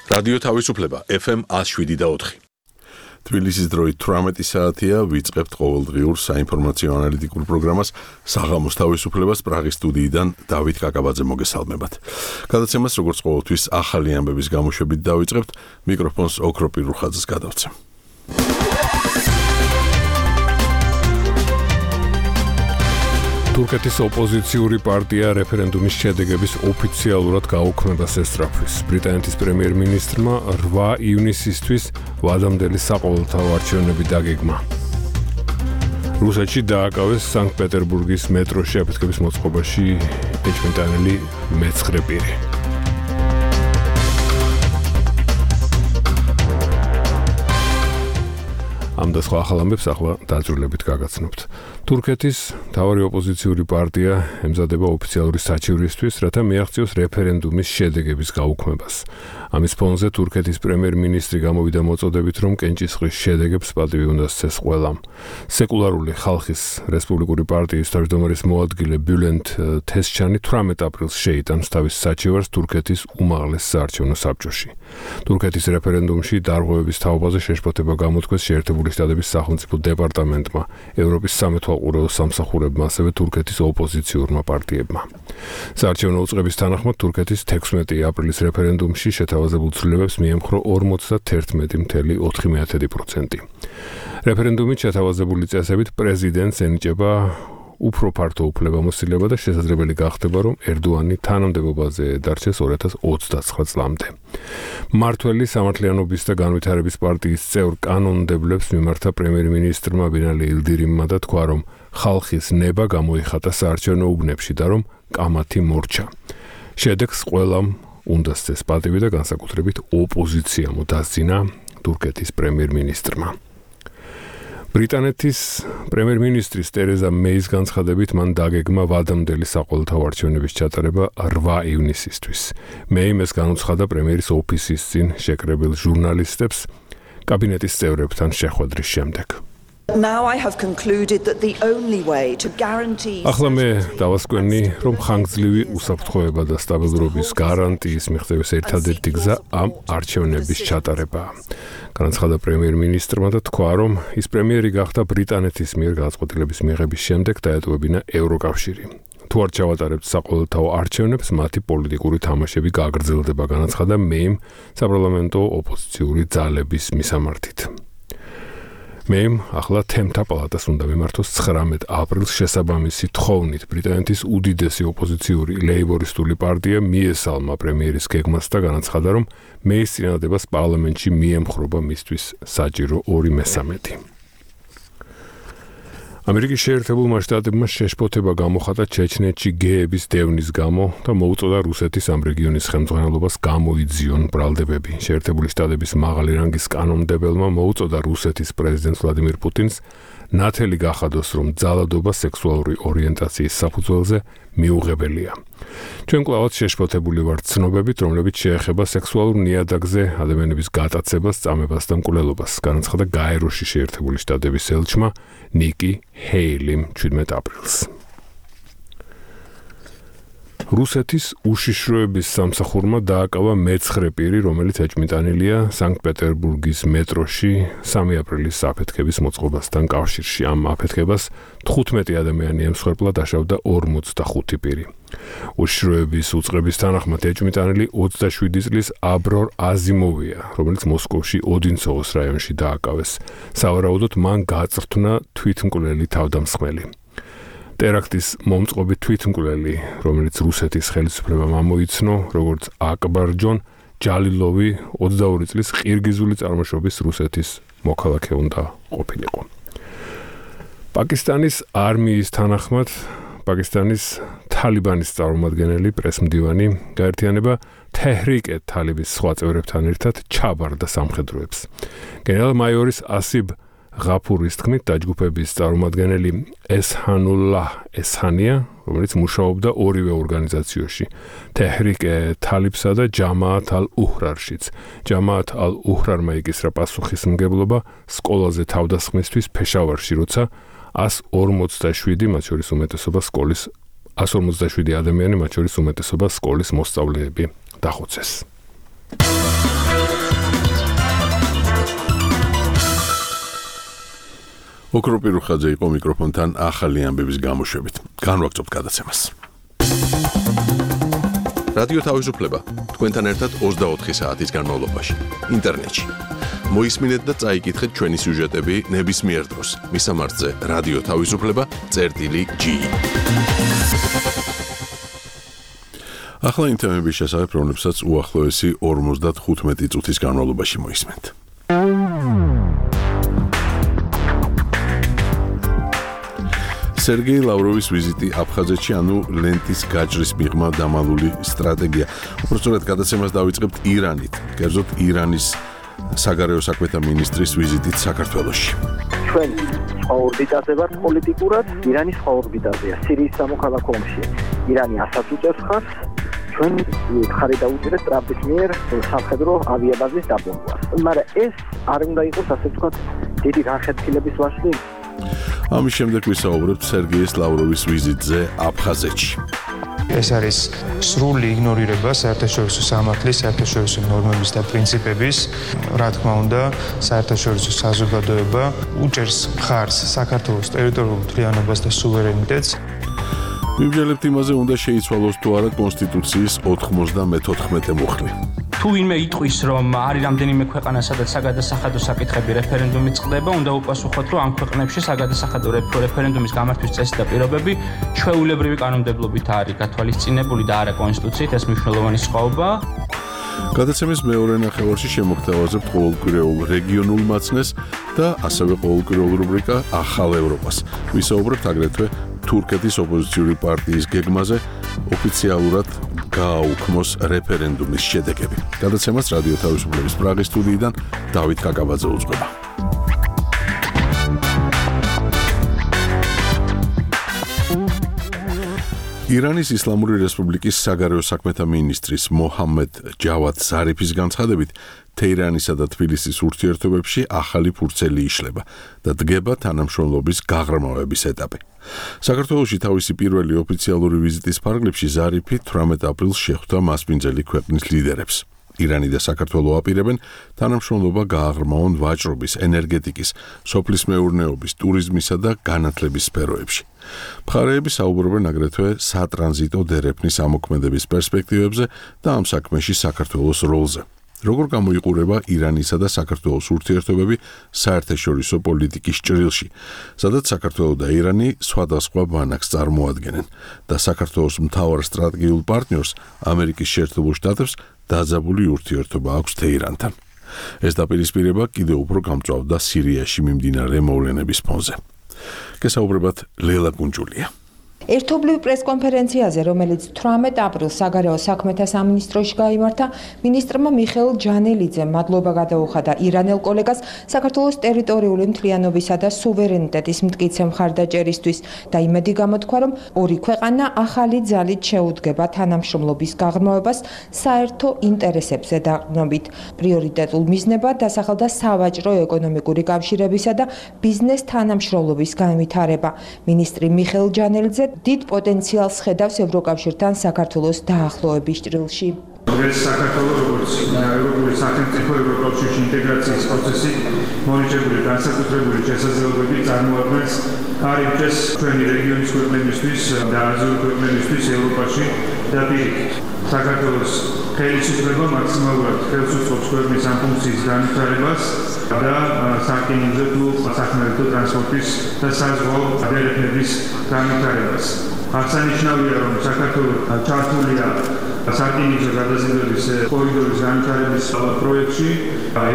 რადიო თავისუფლება FM 107.4. თბილისის დროით 18 საათია, ვიწყებთ ყოველდღიურ საინფორმაციო ანალიტიკურ პროგრამას საღამოს თავისუფლებას პრაღის სტუდიიდან დავით კაკაბაძე მოგესალმებათ. გადაცემას როგორც ყოველთვის ახალი ამბების გამოშვებით დავიწყებთ, მიკროფონს ოქრო პირუხაძეს გადავცემ. თურქეთის ოპოზიციური პარტია რეფერენდუმის შედეგების ოფიციალურად გაუქმებას ესწრაფვის. ბრიტანეთის პრემიერ-მინისტრმა 8 ივნისისთვის ვადამდელი საყოველთაო არჩევნები დაგეგმა. რუსეთში დააკავეს სანქტ-პეტერბურგის მეტროში აფეთქების მოწყობაში ეჭვმიტანილი მეცხრე პირი. ამ და სხვა ახალ ამბებს ახლა დაძრულებით გაგაცნობთ. თურქეთის მთავარი ოპოზიციური პარტია ემზადება ოფიციალური საჩივრისთვის, რათა მიაღწიოს რეფერენდუმის შედეგების გაუქმებას. ამის ფონზე თურქეთის პრემიერ-მინისტრი გამოვიდა მოწოდებით, რომ კენჭისყრის შედეგებს პატივი უნდა სცეს ყველამ. სეკულარული ხალხის რესპუბლიკური პარტიის თავმჯდომარის მოადგილე ბულენტ თესჩანი 18 აპრილს შეიტანს თავის საჩივარს თურქეთის უმაღლეს საარჩევნო საბჭოში. თურქეთის რეფერენდუმში დარღვევების თაობაზე შეშფოთება გამოთქვეს შეერთებული შტატების სახელმწიფო დეპარტამენტმა, ევროპის სამეთვალყურეო სამსახურებმა, ასევე თურქეთის ოპოზიციურმა პარტიებმა. საარჩევნო უწყების თანახმად თურქეთის 16 აპრილის რეფერენდუმში შეთავაზებულ ცვლილებებს მიემხრო 51.4%. რეფერენდუმით შეთავაზებული წესებით პრეზიდენტს ენიჭება უფრო ფართო უფლებამოსილება და შესაძლებელი გახდება, რომ ერდოანი თანამდებობაზე დარჩეს 2029 წლამდე. მმართველი სამართლიანობის და განვითარების პარტიის წევრ კანონმდებლებს მიმართა პრემიერ-მინისტრმა ბინალი ილდირიმმა და თქვა, რომ ხალხის ნება გამოიხატა საარჩევნო უბნებში და რომ კამათი მორჩა. შედეგს ყველამ უნდა სცეს პატივი და განსაკუთრებით ოპოზიციამ დასძინა თურქეთის პრემიერ-მინისტრმა. ბრიტანეთის პრემიერ-მინისტრის ტერეზა მეის განცხადებით მან დაგეგმა ვადამდელი საყოველთაო არჩევნების ჩატარება 8 ივნისისთვის. მეიმ ეს განუცხადა პრემიერის ოფისის წინ შეკრებილ ჟურნალისტებს კაბინეტის წევრებთან შეხვედრის შემდეგ. Now I have concluded that the only way to guarantee ახლა მე დავასკვენი, რომ ხანგრძლივი უსაფრთხოება და სტაბილურობის გარანტიის მიღწევის ერთადერთი გზა ამ არჩევნების ჩატარებაა. განაცხადა პრემიერ-მინისტრმა და თქვა, რომ ის პრემიერი გახდა ბრიტანეთის მიერ გადაწყვეტილების მიღების შემდეგ დაეტოვებინა ევროკავშირი. თუ არ ჩავატარებთ საყოველთაო არჩევნებს, მათი პოლიტიკური თამაშები გაგრძელდება, განაცხადა მეიმ საპარლამენტო ოპოზიციური ძალების მისამართით. მეიმ ახლა თემთა პალატას უნდა მიმართოს 19 აპრილს შესაბამისი თხოვნით. ბრიტანეთის უდიდესი ოპოზიციური ლეიბორისტული პარტია მიესალმა პრემიერის გეგმას და განაცხადა, რომ მეის წინადადებას პარლამენტში მიემხრობა მისთვის საჭირო 2/3. ამერიკის შეერთებულმა შტატებმა შეშფოთება გამოხატა ჩეჩნეთში გეების დევნის გამო და მოუწოდა რუსეთის ამ რეგიონის ხელმძღვანელობას გამოიძიონ ბრალდებები. შეერთებული შტატების მაღალი რანგის კანონმდებელმა მოუწოდა რუსეთის პრეზიდენტს ვლადიმირ პუტინს ნათელი გახადოს, რომ ძალადობა სექსუალური ორიენტაციის საფუძველზე მიუღებელია. ჩვენ კვლავაც შეშფოთებული ვართ ცნობებით, რომლებიც შეეხება სექსუალურ ნიადაგზე ადამიანების გატაცებას, წამებას და მკვლელობას, განაცხადა გაეროში შეერთებული შტატების ელჩმა ნიკი ჰეილიმ 17 აპრილს. რუსეთის უშიშროების სამსახურმა დააკავა მეცხრე პირი, რომელიც ეჭვმიტანილია სანქტ-პეტერბურგის მეტროში 3 აპრილის აფეთქების მოწყობასთან კავშირში. ამ აფეთქებას 15 ადამიანი ემსხვერპლა, დაშავდა 45 პირი. უშიშროების უწყების თანახმად ეჭვმიტანილი 27 წლის აბრორ აზიმოვია, რომელიც მოსკოვში ოდინცოვოს რაიონში დააკავეს. სავარაუდოდ მან გაწვრთნა თვითმკვლელი თავდამსხმელი. ტერაქტის მომწყობი თვითმკვლელი, რომელიც რუსეთის ხელისუფლებამ ამოიცნო, როგორც აკბარჯონ ჯალილოვი 22 წლის ყირგიზული წარმოშობის რუსეთის მოქალაქე უნდა ყოფილიყო. პაკისტანის არმიის თანახმად პაკისტანის თალიბანის წარმომადგენელი პრესმდივანი გაერთიანება თეჰრიკ-ე-თალიბის სხვა წევრებთან ერთად ჩაბარდა სამხედროებს. გენერალ-მაიორის ასიბ ღაფურის თქმით, დაჯგუფების წარმომადგენელი ესჰანულლაჰ ესჰანია, რომელიც მუშაობდა ორივე ორგანიზაციაში, თეჰრიკ-ე-თალიბსა და ჯამაათ ალ-უჰრარშიც. ჯამაათ ალ-უჰრარმა იკისრა პასუხისმგებლობა სკოლაზე თავდასხმისთვის ფეშავარში, როცა 147, მათ შორის უმეტესობა სკოლის 157 ადამიანი, მათ შორის უმეტესობა სკოლის მოსწავლეები დახოცეს. ოქროპი რუხაძე იყო მიკროფონთან ახალი ამბების გამოშვებით. განვაგრძობთ გადაცემას. რადიო თავისუფლება თქვენთან ერთად 24 საათის განმავლობაში ინტერნეტში. მოისმინეთ და წაიკითხეთ ჩვენი სიუჟეტები ნებისმიერ დროს. მისამართზე რადიო თავისუფლება.ge. ახლა იმ თემების შესახებ, რომლებსაც უახლოესი 55 წუთის განმავლობაში მოისმენთ. სერგეი ლავროვის ვიზიტი აფხაზეთში, ანუ ლენტის გაჭრის მიღმა დამალული სტრატეგია. უბრალოდ გადაცემას დავიწყებთ ირანით. კერძოდ ირანის საგარეო საქმეთა მინისტრის ვიზიტით საქართველოში. ჩვენ ორბიტაზე ვართ პოლიტიკურად, ირანის ორბიტაზეა, სირიის სამოქალაქო ომში. ირანი ასაც უწევს ხარს, ჩვენ ხარი დაუჭერეთ ტრამპის მიერ სამხედრო ავიაბაზის დაბომბვას. მაგრამ ეს არ უნდა იყოს, ასე ვთქვათ, დიდი განხეთქილების ვაშლი. ამის შემდეგ ვისაუბრებთ სერგეი ლავროვის ვიზიტზე აფხაზეთში. ეს არის სრული იგნორირება საერთაშორისო სამართლის, საერთაშორისო ნორმების და პრინციპების. რა თქმა უნდა, საერთაშორისო საზოგადოება უჭერს მხარს საქართველოს ტერიტორიულ მთლიანობას და სუვერენიტეტს. ვიმსჯელებთ იმაზე, უნდა შეიცვალოს თუ არა კონსტიტუციის 94 მუხლი. თუ ვინმე იტყვის, რომ არის რამდენიმე ქვეყანა, სადაც საგადასახადო საკითხები რეფერენდუმით წყდება, უნდა უპასუხოთ, რომ ამ ქვეყნებში საგადასახადო რეფერენდუმის გამართვის წესი და პირობები ჩვეულებრივი კანონმდებლობით არის გათვალისწინებული და არა კონსტიტუციით, ეს მნიშვნელოვანი სხვაობაა. გადაცემის მეორე ნახევარში შემოგთავაზებთ ყოველკვირეულ რეგიონულ მაცნეს და ასევე ყოველკვირეულ რუბრიკა ახალ ევროპას. ვისაუბრებთ აგრეთვე თურქეთის ოპოზიციური პარტიის გეგმაზე ოფიციალურად გააუქმოს რეფერენდუმის შედეგები. გადაცემას რადიო თავისუფლების პრაღის სტუდიიდან დავით კაკაბაძე უძღვება. ირანის ისლამური რესპუბლიკის საგარეო საქმეთა მინისტრის მოჰამედ ჯავად ზარიფის განცხადებით, თეირანისა და თბილისის ურთიერთობებში ახალი ფურცელი იშლება და დგება თანამშრომლობის გაღრმავების ეტაპი. საქართველოში თავისი პირველი ოფიციალური ვიზიტის ფარგლებში ზარიფი 18 აპრილს შეხვდა მასპინძელი ქვეყნის ლიდერებს. ირანი და საქართველო აპირებენ თანამშრომლობა გააღრმავონ ვაჭრობის, ენერგეტიკის, სოფლის მეურნეობის, ტურიზმისა და განათლების სფეროებში. მხარეები საუბრობენ აგრეთვე სატრანზიტო დერეფნის ამოქმედების პერსპექტივებზე და ამ საქმეში საქართველოს როლზე. როგორ გამოიყურება ირანისა და საქართველოს ურთიერთობები საერთაშორისო პოლიტიკის ჭრილში, სადაც საქართველო და ირანი სხვადასხვა ბანაკს წარმოადგენენ და საქართველოს მთავარ სტრატეგიულ პარტნიორს ამერიკის შეერთებულ შტატებს დაძაბული ურთიერთობა აქვს თეირანთან. ეს დაპირისპირება კიდევ უფრო გამწვავდა სირიაში მიმდინარე მოვლენების ფონზე. გესაუბრებათ ლელა გუნჯულია. ერთობლივ პრესკონფერენციაზე, რომელიც 18 აპრილს საგარეო საქმეთა სამინისტროში გაიმართა, მინისტრმა მიხეილ ჯანელიძემ მადლობა გადაუხადა ირანელ კოლეგას საქართველოს ტერიტორიული მთლიანობისა და სუვერენიტეტის მტკიცე მხარდაჭერისთვის და იმედი გამოთქვა, რომ ორი ქვეყანა ახალი ძალით შეუდგება თანამშრომლობის გაღრმავებას საერთო ინტერესებზე დაყრდნობით. პრიორიტეტულ მიზნებად დასახელდა სავაჭრო ეკონომიკური კავშირებისა და ბიზნეს თანამშრომლობის განვითარება. მინისტრი მიხეილ ჯანელიძე დიდ პოტენციალს ხედავს ევროკავშირთან საქართველოს დაახლოების ჭრილში. საქართველოს როგორც ევროპული სახელმწიფო ევროკავშირში ინტეგრაციის პროცესი მონიტორინგული განსაკუთრებული შესაძლებლობები წარმოადგენს კარიბჭეს ჩვენი რეგიონის ქვეყნებისთვის და აზიურ ქვეყნებისთვის ევროპაში და პირიქით. საქართველოს ხელისუფლება მაქსიმალურად ხელს უწყობს ქვეყნის ამ ფუნქციის განვითარებას და სარკინიგზო თუ სახმელეთო ტრანსპორტის და საზღვაო დერეფნების განვითარებას. აღსანიშნავია, რომ საქართველო ჩართულია სარკინიგზო გადაზიდვების კორიდორის განვითარების პროექტში.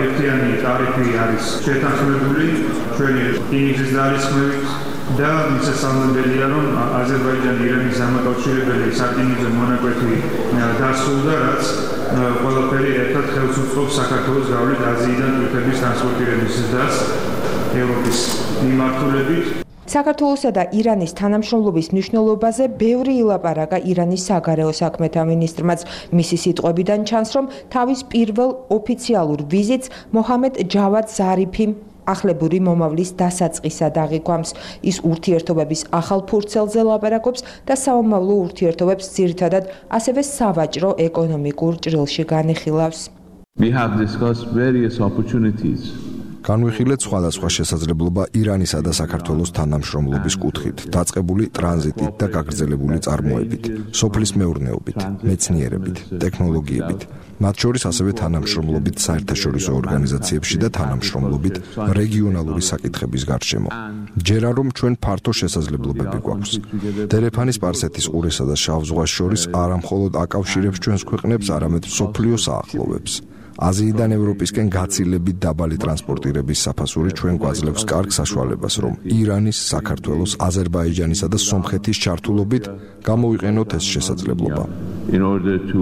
ერთიანი ტარიფი არის შეთანხმებული ჩვენი რკინიგზის ძალისხმევით და მისასალმებელია, რომ აზერბაიჯანი ირანის დამაკავშირებელი სარკინიგზო მონაკვეთი დასრულდა, რაც ყველაფერი ერთად ხელს უწყობს საქართველოს გავლით აზიიდან თურქეთის ტრანსპორტირების ზრდას ევროპის მიმართულებით. საქართველოსა და ირანის თანამშრომლობის მნიშვნელობაზე ბევრი ილაპარაკა ირანის საგარეო საქმეთა მინისტრმაც. მისი სიტყვებიდან ჩანს, რომ თავის პირველ ოფიციალურ ვიზიტს მოჰამედ ჯავად ზარიფი ახლებური მომავლის დასაწყისად აღიქვამს. ის ურთიერთობების ახალ ფურცელზე ლაპარაკობს და საომავლო ურთიერთობებს ძირითადად ასევე სავაჭრო ეკონომიკურ ჭრილში განიხილავს. We have discussed various opportunities. განვიხილეთ სხვადასხვა შესაძლებლობა ირანისა და საქართველოს თანამშრომლობის კუთხით, დაწყებული ტრანზიტით და გაგრძელებული წარმოებით, სოფლის მეურნეობით, მეცნიერებით, ტექნოლოგიებით, მათ შორის ასევე თანამშრომლობით საერთაშორისო ორგანიზაციებში და თანამშრომლობით რეგიონალური საკითხების გარშემო. ჯერა რომ ჩვენ ფართო შესაძლებლობები გვაქვს. დერეფანის სპარსეთის ყურესა და შავ ზღვას შორის არა მხოლოდ აკავშირებს ჩვენს ქვეყნებს, არამედ მსოფლიოს აახლოვებს. აზიიდან ევროპისკენ გაცილებით დაბალი ტრანსპორტირების საფასური ჩვენ გვაძლევს კარგ საშუალებას, რომ ირანის, საქართველოს, აზერბაიჯანისა და სომხეთის ჩართულობით გამოვიყენოთ ეს შესაძლებლობა. In order to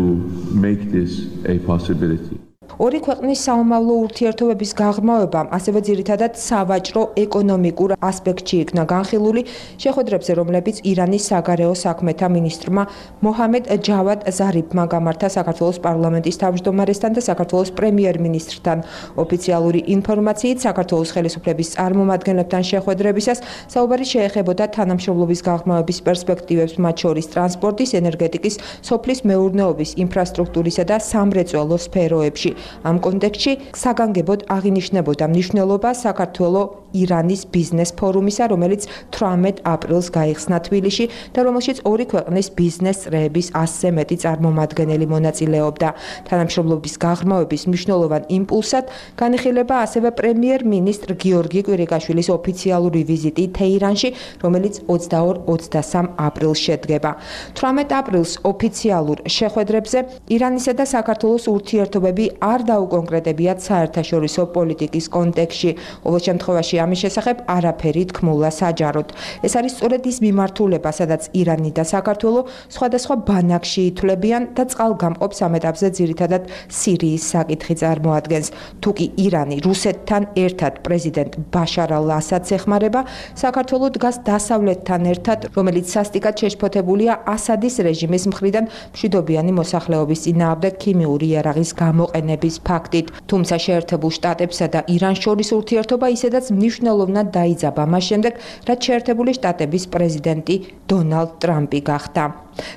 make this a possibility. ორი ქვეყნის საომავლო ურთიერთობების გაღრმავებამ ასევე ძირითადად სავაჭრო ეკონომიკურ ასპექტში იქნა განხილული შეხვედრებზე, რომლებიც ირანის საგარეო საქმეთა მინისტრმა მოჰამედ ჯავად ზარიფმა გამართა საქართველოს პარლამენტის თავმჯდომარესთან და საქართველოს პრემიერ-მინისტრთან. ოფიციალური ინფორმაციით, საქართველოს ხელისუფლების წარმომადგენლებთან შეხვედრებისას საუბარი შეეხებოდა თანამშრომლობის გაღრმავების პერსპექტივებს, მათ შორის ტრანსპორტის, ენერგეტიკის, სოფლის მეურნეობის, ინფრასტრუქტურისა და სამრეწველო სფეროებში. ამ კონტექსტში საგანგებოდ აღინიშნებოდა მნიშვნელობა საქართველო-ირანის ბიზნეს ფორუმისა, რომელიც 18 აპრილს გაიხსნა თბილისში და რომელშიც ორი ქვეყნის ბიზნეს წრეების 100-ზე მეტი წარმომადგენელი მონაწილეობდა. თანამშრომლობის გაღრმავების მნიშვნელოვან იმპულსად განიხილება ასევე პრემიერ-მინისტრ გიორგი კვირიკაშვილის ოფიციალური ვიზიტი თეირანში, რომელიც 22-23 აპრილს შედგება. 18 აპრილს ოფიციალურ შეხვედრებზე ირანისა და საქართველოს ურთიერთობები არ დაუკონკრეტებიათ საერთაშორისო პოლიტიკის კონტექსტში. ყოველ შემთხვევაში ამის შესახებ არაფერი თქმულა საჯაროდ. ეს არის სწორედ ის მიმართულება, სადაც ირანი და საქართველო სხვადასხვა ბანაკში ითვლებიან და წყალგამყოფ ამ ეტაპზე ძირითადად სირიის საკითხი წარმოადგენს. თუკი ირანი რუსეთთან ერთად პრეზიდენტ ბაშარ ალ-ასადს ეხმარება, საქართველო დგას დასავლეთთან ერთად, რომელიც სასტიკად შეშფოთებულია ასადის რეჟიმის მხრიდან მშვიდობიანი მოსახლეობის წინააღმდეგ ქიმიური იარაღის გამოყენების ფაქტით. თუმცა შეერთებულ შტატებსა და ირანს შორის ურთიერთობა ისედაც მნიშვნელოვნად დაიძაბა მას შემდეგ, რაც შეერთებული შტატების პრეზიდენტი დონალდ ტრამპი გახდა.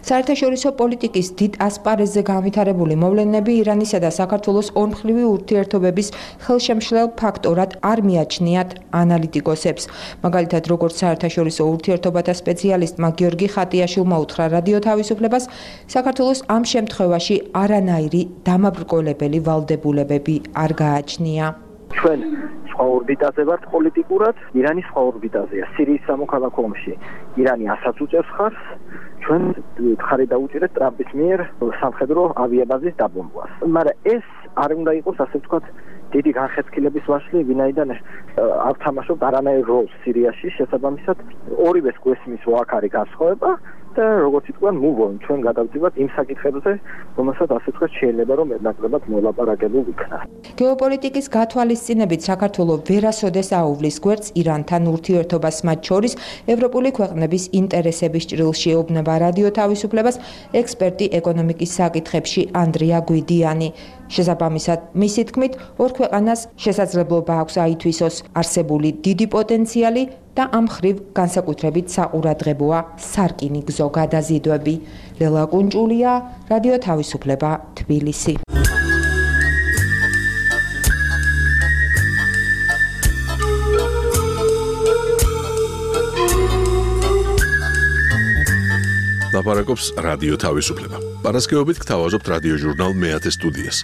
საერთაშორისო პოლიტიკის დიდ ასპარეზზე განვითარებული მოვლენები ირანისა და საქართველოს ორმხრივი ურთიერთობების ხელშემშლელ ფაქტორად არ მიაჩნიათ ანალიტიკოსებს. მაგალითად, როგორც საერთაშორისო ურთიერთობათა სპეციალისტმა გიორგი ხატიაშვილმა უთხრა რადიო თავისუფლებას, საქართველოს ამ შემთხვევაში არანაირი დამაბრკოლებელი ვალდებულებები არ გააჩნია. ჩვენ სხვა ორბიტაზე ვართ პოლიტიკურად, ირანი სხვა ორბიტაზეა. სირიის სამოქალაქო ომში ირანი ასაც უწევს ხარს, ჩვენ ხარი დაუჭირეთ ტრამპის მიერ სამხედრო ავიაბაზის დაბომბვას. მაგრამ ეს არ უნდა იყოს, ასე ვთქვათ, დიდი განხეთქილების ვაშლი, ვინაიდან არ თამაშობთ არანაირ როლს სირიაში, შესაბამისად ორივეს გვესმის უაქარი განსხვავება და როგორც იტყვიან, move on, ჩვენ გადავდივართ იმ საკითხებზე, რომელსაც ასე ვთქვათ, შეიძლება რომ მეტნაკლებად მოლაპარაკებულ იქნას. გეოპოლიტიკის გათვალისწინებით საქართველო ვერასოდეს აუვლის გვერდს ირანთან ურთიერთობას, მათ შორის ევროპული ქვეყნების ინტერესების ჭრილში ეუბნება რადიო თავისუფლებას ექსპერტი ეკონომიკის საკითხებში ანდრია გვიდიანი. შესაბამისად, მისი თქმით, ორ ქვეყანას შესაძლებლობა აქვს აითვისოს არსებული დიდი პოტენციალი და ამ ხრივ განსაკუთრებით საყურადღებოა სარკინიგზო გადაზიდვები. ლელა კუნჭულია, რადიო თავისუფლება, თბილისი. ლაპარაკობს რადიო თავისუფლება. პარასკევობით გთავაზობთ რადიო ჟურნალ მეათე სტუდიას,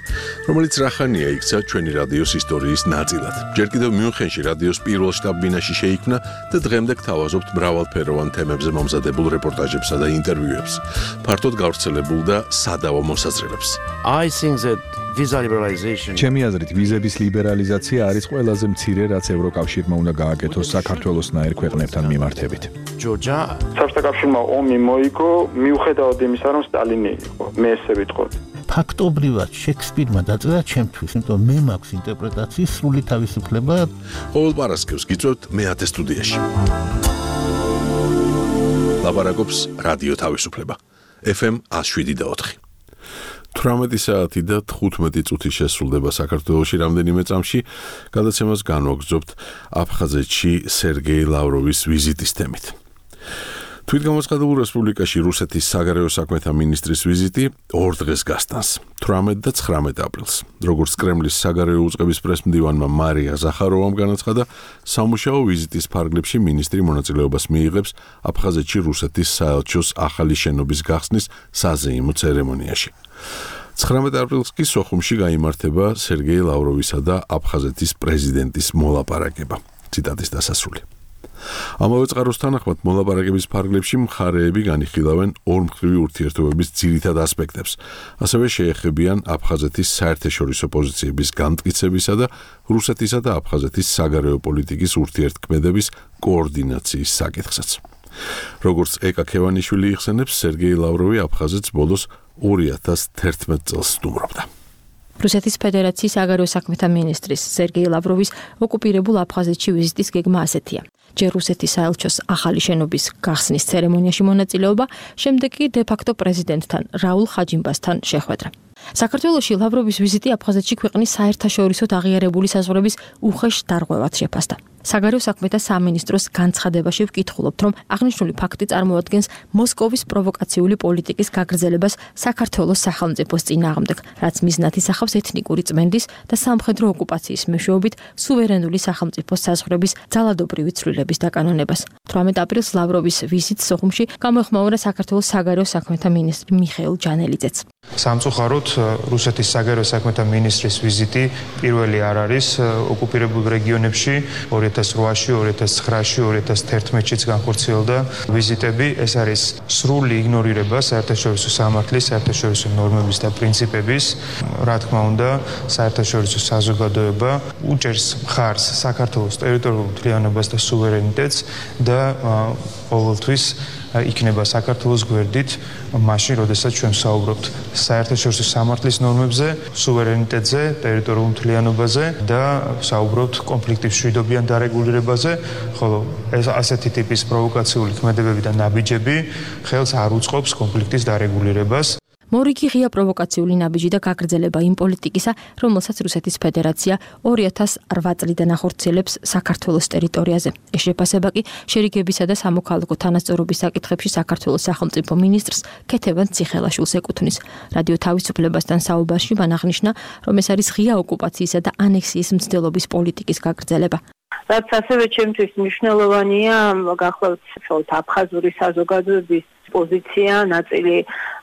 რომელიც რახანია იქცა ჩვენი რადიოს ისტორიის ნაწილად. ჯერ კიდევ მიუნხენში რადიოს პირველ შტაბ-ბინაში შეიქმნა და დღემდე გთავაზობთ მრავალფეროვან თემებზე მომზადებულ რეპორტაჟებსა და ინტერვიუებს, ფართოდ გავრცელებულ და სადავო მოსაზრებებს. ჩემი აზრით, ვიზების ლიბერალიზაცია არის ყველაზე მცირე, რაც ევროკავშირმა უნდა გააკეთოს საქართველოსნაირ ქვეყნებთან მიმართებით. საბჭოთა კავშირმა ომი მოიგო, მიუხედავად იმისა, რომ სტალინი იყო, მე ესე ვიტყოდი. ფაქტობრივად შექსპირმა დაწერა ჩემთვის, იმიტომ მე მაქვს ინტერპრეტაციის სრული თავისუფლება. ყოველ პარასკევს გიწევთ მეათე სტუდიაში. ლაპარაკობს რადიო თავისუფლება. FM 107.4. 18 საათი და 15 წუთი შესრულდება საქართველოში რამდენიმე წამში, გადაცემას განვაგრძობთ აფხაზეთში სერგეი ლავროვის ვიზიტის თემით. თვითგამოცხადებულ რესპუბლიკაში რუსეთის საგარეო საქმეთა მინისტრის ვიზიტი 2 დღეს გასტანს, 18 და 19 აპრილს. როგორც კრემლის საგარეო უწყების პრესმდივანმა მარია ზახაროვამ განაცხადა, სამუშაო ვიზიტის ფარგლებში მინისტრი მონაწილეობას მიიღებს აფხაზეთში რუსეთის საელჩოს ახალი შენობის გახსნის საზეიმო ცერემონიაში. 19 აპრილს კი სოხუმში გაიმართება სერგეი ლავროვისა და აფხაზეთის პრეზიდენტის მოლაპარაკება. ციტატის დასასრული. ამავე წყაროს თანახმად მოლაპარაკების ფარგლებში მხარეები განიხილავენ ორმხრივი ურთიერთობების ძირითად ასპექტებს, ასევე შეეხებიან აფხაზეთის საერთაშორისო პოზიციების განმტკიცებისა და რუსეთისა და აფხაზეთის საგარეო პოლიტიკის ურთიერთქმედების კოორდინაციის საკითხსაც. როგორც ეკა ქევანიშვილი იხსენებს, სერგეი ლავროვი აფხაზეთს ბოლოს 2011 წელს სტუმრობდა. რუსეთის ფედერაციის საგარეო საქმეთა მინისტრის სერგეი ლავროვის ოკუპირებულ აფხაზეთში ვიზიტის გეგმა ასეთია. ჯერ რუსეთის საელჩოს ახალი შენობის გახსნის ცერემონიაში მონაწილეობა, შემდეგ კი დე-ფაქტო პრეზიდენტთან რაულ ხაჯიმბასთან შეხვედრა. საქართველოში ლავროვის ვიზიტი აფხაზეთში ქვეყნის საერთაშორისოდ აღიარებული საზღვრების უხეშ დარღვევად შეფასდა. საგარეო საქმეთა სამინისტროს განცხადებაში ვკითხულობთ, რომ აღნიშნული ფაქტი წარმოადგენს მოსკოვის პროვოკაციული პოლიტიკის გაგრძელებას საქართველოს სახელმწიფოს წინააღმდეგ, რაც მიზნად ისახავს ეთნიკური წმენდის და სამხედრო ოკუპაციის მეშვეობით სუვერენული სახელმწიფოს საზღვრების ძალადობრივი ცვლილების დაკანონებას. 18 აპრილს ლავროვის ვიზიტს სოხუმში გამოეხმაურა საქართველოს საგარეო საქმეთა მინისტრი მიხეილ ჯანელიძეც. სამწუხაროდ რუსეთის საგარეო საქმეთა მინისტრის ვიზიტი პირველი არ არის ოკუპირებულ რეგიონებში 2008-ში, 2009-ში, 2011-შიც განხორციელდა ვიზიტები. ეს არის სრული იგნორირება საერთაშორისო სამართლის, საერთაშორისო ნორმების და პრინციპების. რა თქმა უნდა, საერთაშორისო საზოგადოება უჭერს მხარს საქართველოს ტერიტორიულ მთლიანობას და სუვერენიტეტს და ყოველთვის იქნება საქართველოს გვერდით მაშინ, როდესაც ჩვენ საუბრობთ საერთაშორისო სამართლის ნორმებზე, სუვერენიტეტზე, ტერიტორიულ მთლიანობაზე და საუბრობთ კონფლიქტის მშვიდობიან დარეგულირებაზე, ხოლო ეს ასეთი ტიპის პროვოკაციული ქმედებები და ნაბიჯები ხელს არ უწყობს კონფლიქტის დარეგულირებას. მორიგი ღია პროვოკაციული ნაბიჯი და გაგრძელება იმ პოლიტიკისა, რომელსაც რუსეთის ფედერაცია 2008 წლიდან ახორციელებს საქართველოს ტერიტორიაზე. ეს შეფასება კი შერიგებისა და სამოქალაქო თანასწორობის საკითხებში საქართველოს სახელმწიფო მინისტრს ქეთევან ციხელაშვილს ეკუთვნის. რადიო თავისუფლებასთან საუბარში მან აღნიშნა, რომ ეს არის ღია ოკუპაციისა და ანექსიის მცდელობის პოლიტიკის გაგრძელება. რაც ასევე ჩემთვის მნიშვნელოვანია, გახლავთ აფხაზური საზოგადოების პოზიცია, ნაწილი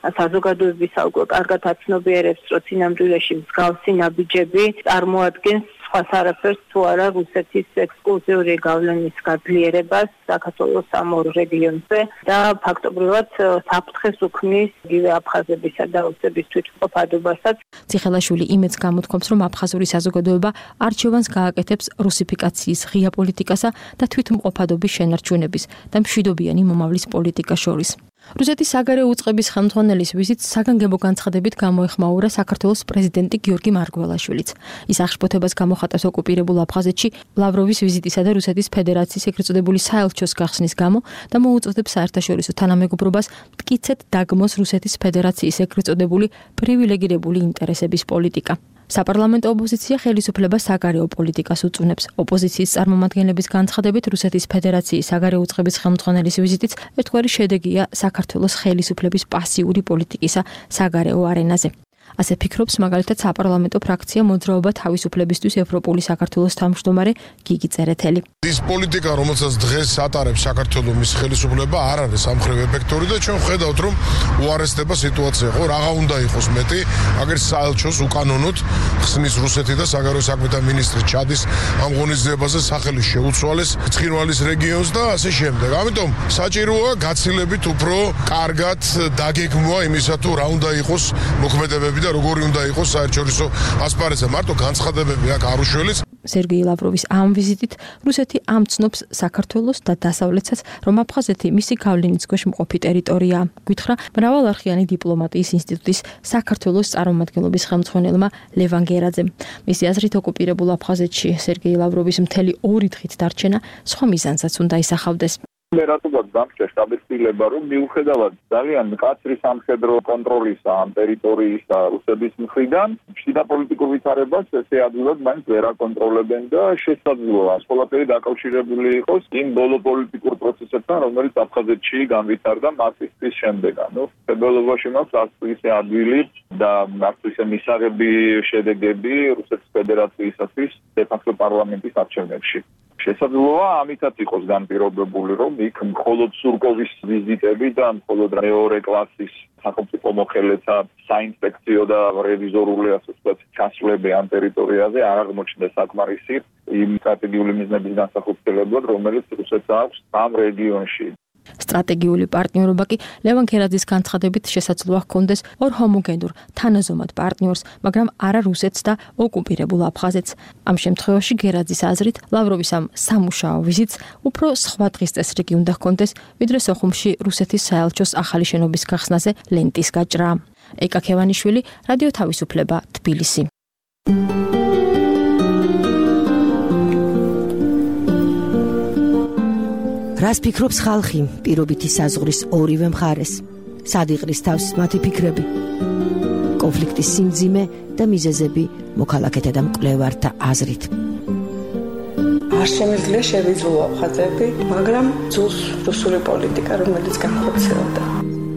საზოგადოების უკვე კარგად აცნობიერებს, რომ წინამძღოლში მსგავსი ნაბიჯები წარმოადგენს სხვას არაფერს თუ არა რუსეთის ექსკლუზიური გავლენის გაძლიერებას საქართველოს ამ ორ რეგიონზე და ფაქტობრივად საფრთხეს უქმნის იგივე აფხაზებისა და რუსების თვითმყოფადობასაც. ციხელაშვილი იმედს გამოთქვამს, რომ აფხაზური საზოგადოება არჩევანს გააკეთებს რუსიფიკაციის ღია პოლიტიკასა და თვითმყოფადობის შენარჩუნების და მშვიდობიანი მომავლის პოლიტიკას შორის. რუსეთის საგარეო უწყების ხელმძღვანელის ვიზიტს საგანგებო განცხადებით გამოეხმაურა საქართველოს პრეზიდენტი გიორგი მარგველაშვილიც. ის აღშფოთებას გამოხატავს ოკუპირებულ აფხაზეთში ლავროვის ვიზიტისა და რუსეთის ფედერაციის ეგრეთ წოდებული საელჩოს გახსნის გამო და მოუწოდებს საერთაშორისო თანამეგობრობას მტკიცედ დაგმოს რუსეთის ფედერაციის ეგრეთ წოდებული პრივილეგირებული ინტერესების პოლიტიკა. საპარლამენტო ოპოზიცია ხელისუფლებას საგარეო პოლიტიკას უწუნებს. ოპოზიციის წარმომადგენლების განცხადებით რუსეთის ფედერაციის საგარეო უწყების ხელმძღვანელის ვიზიტიც ერთგვარი შედეგია საქართველოს ხელისუფლების პასიური პოლიტიკისა საგარეო არენაზე. ასე ფიქრობს მაგალითად საპარლამენტო ფრაქცია მოძრაობა თავისუფლებისთვის ევროპული საქართველოს თავმჯდომარე გიგი წერეთელი. ის პოლიტიკა, რომელსაც დღეს ატარებს საქართველოს მის ხელისუფლება, არ არის სამხრივ ეფექტური და ჩვენ ხედავთ, რომ უარესდება სიტუაცია, ხო, რაღა უნდა იყოს მეტი, აგერ საელჩოს უკანონოდ ხსნის რუსეთი და საგარეო საქმეთა მინისტრი ჩადის ამ ღონისძიებაზე სახელი შეუცვალეს ცხინვალის რეგიონს და ასე შემდეგ. ამიტომ საჭიროა გაცილებით უფრო კარგად დაგეგმვა იმისა, თუ რა უნდა იყოს მოქმედებები და როგორი უნდა იყოს საერთაშორისო ასპარეზზე. მარტო განცხადებები აქ არ უშველის. სერგეი ლავროვის ამ ვიზიტით რუსეთი ამცნობს საქართველოს და დასავლეთსაც, რომ აფხაზეთი მისი გავლენის ქვეშ მყოფი ტერიტორიაა. გითხრა მრავალარხიანი დიპლომატიის ინსტიტუტის საქართველოს წარმომადგენლობის ხელმძღვანელმა ლევან გერაძემ. მისი აზრით ოკუპირებულ აფხაზეთში სერგეი ლავროვის მთელი 2 დღით დარჩენა სხვა მიზანსაც უნდა ისახავდეს. მე რატომაც დამჭერს დაბეჭდილება, რომ მიუხედავად ძალიან მკაცრი სამხედრო კონტროლისა ამ ტერიტორიისა რუსების მხრიდან, შიდა პოლიტიკურ ვითარებას ესე ადვილად მაინც ვერ აკონტროლებენ და შესაძლოა ეს ყველაფერი დაკავშირებული იყოს იმ ბოლო პოლიტიკურ პროცესებთან, რომელიც აფხაზეთში განვითარდა მარტის შემდეგ. ფებრუარში მაქვს არც ისე ადვილი და არც ისე მისაღები შედეგები რუსეთის ფედერაციისათვის დე-ფაქტო პარლამენტის არჩევნებში. შესაძლოა ამითაც იყოს განპირობებული, რომ იქ მხოლოდ სურკოვის ვიზიტები და მხოლოდ მეორე კლასის სახელმწიფო მოხელეთა საინსპექციო და რევიზორული ასე ვთქვათ ჩასვლები ამ ტერიტორიაზე არ აღმოჩნდა საკმარისი იმ სტრატეგიული მიზნების განსახილველად, რომელიც რუსეთს აქვს ამ რეგიონში. სტრატეგიული პარტნიორობა კი ლევან ქერაძის განცხადებით შესაძლოა ჰქონდეს ორ ჰომოგენურ თანაზომად პარტნიორს, მაგრამ არა რუსეთს და ოკუპირებულ აფხაზეთს. ამ შემთხვევაში ქერაძის აზრით ლავროვის ამ სამუშაო ვიზიტს უფრო სხვა დღის წესრიგი უნდა ჰქონდეს, ვიდრე სოხუმში რუსეთის საელჩოს ახალი შენობის გახსნაზე ლენტის გაჭრა. ეკა ქევანიშვილი, რადიო თავისუფლება, თბილისი. რას ფიქრობს ხალხი პირობითი საზღვრის ორივე მხარეს? სად იყრის თავს მათი ფიქრები? კონფლიქტის სიმძიმე და მიზეზები მოქალაქეთა და მკვლევართა აზრით. არ შემიძლია შევიძულო აფხაზები, მაგრამ ძულს რუსული პოლიტიკა, რომელიც განხორციელდა.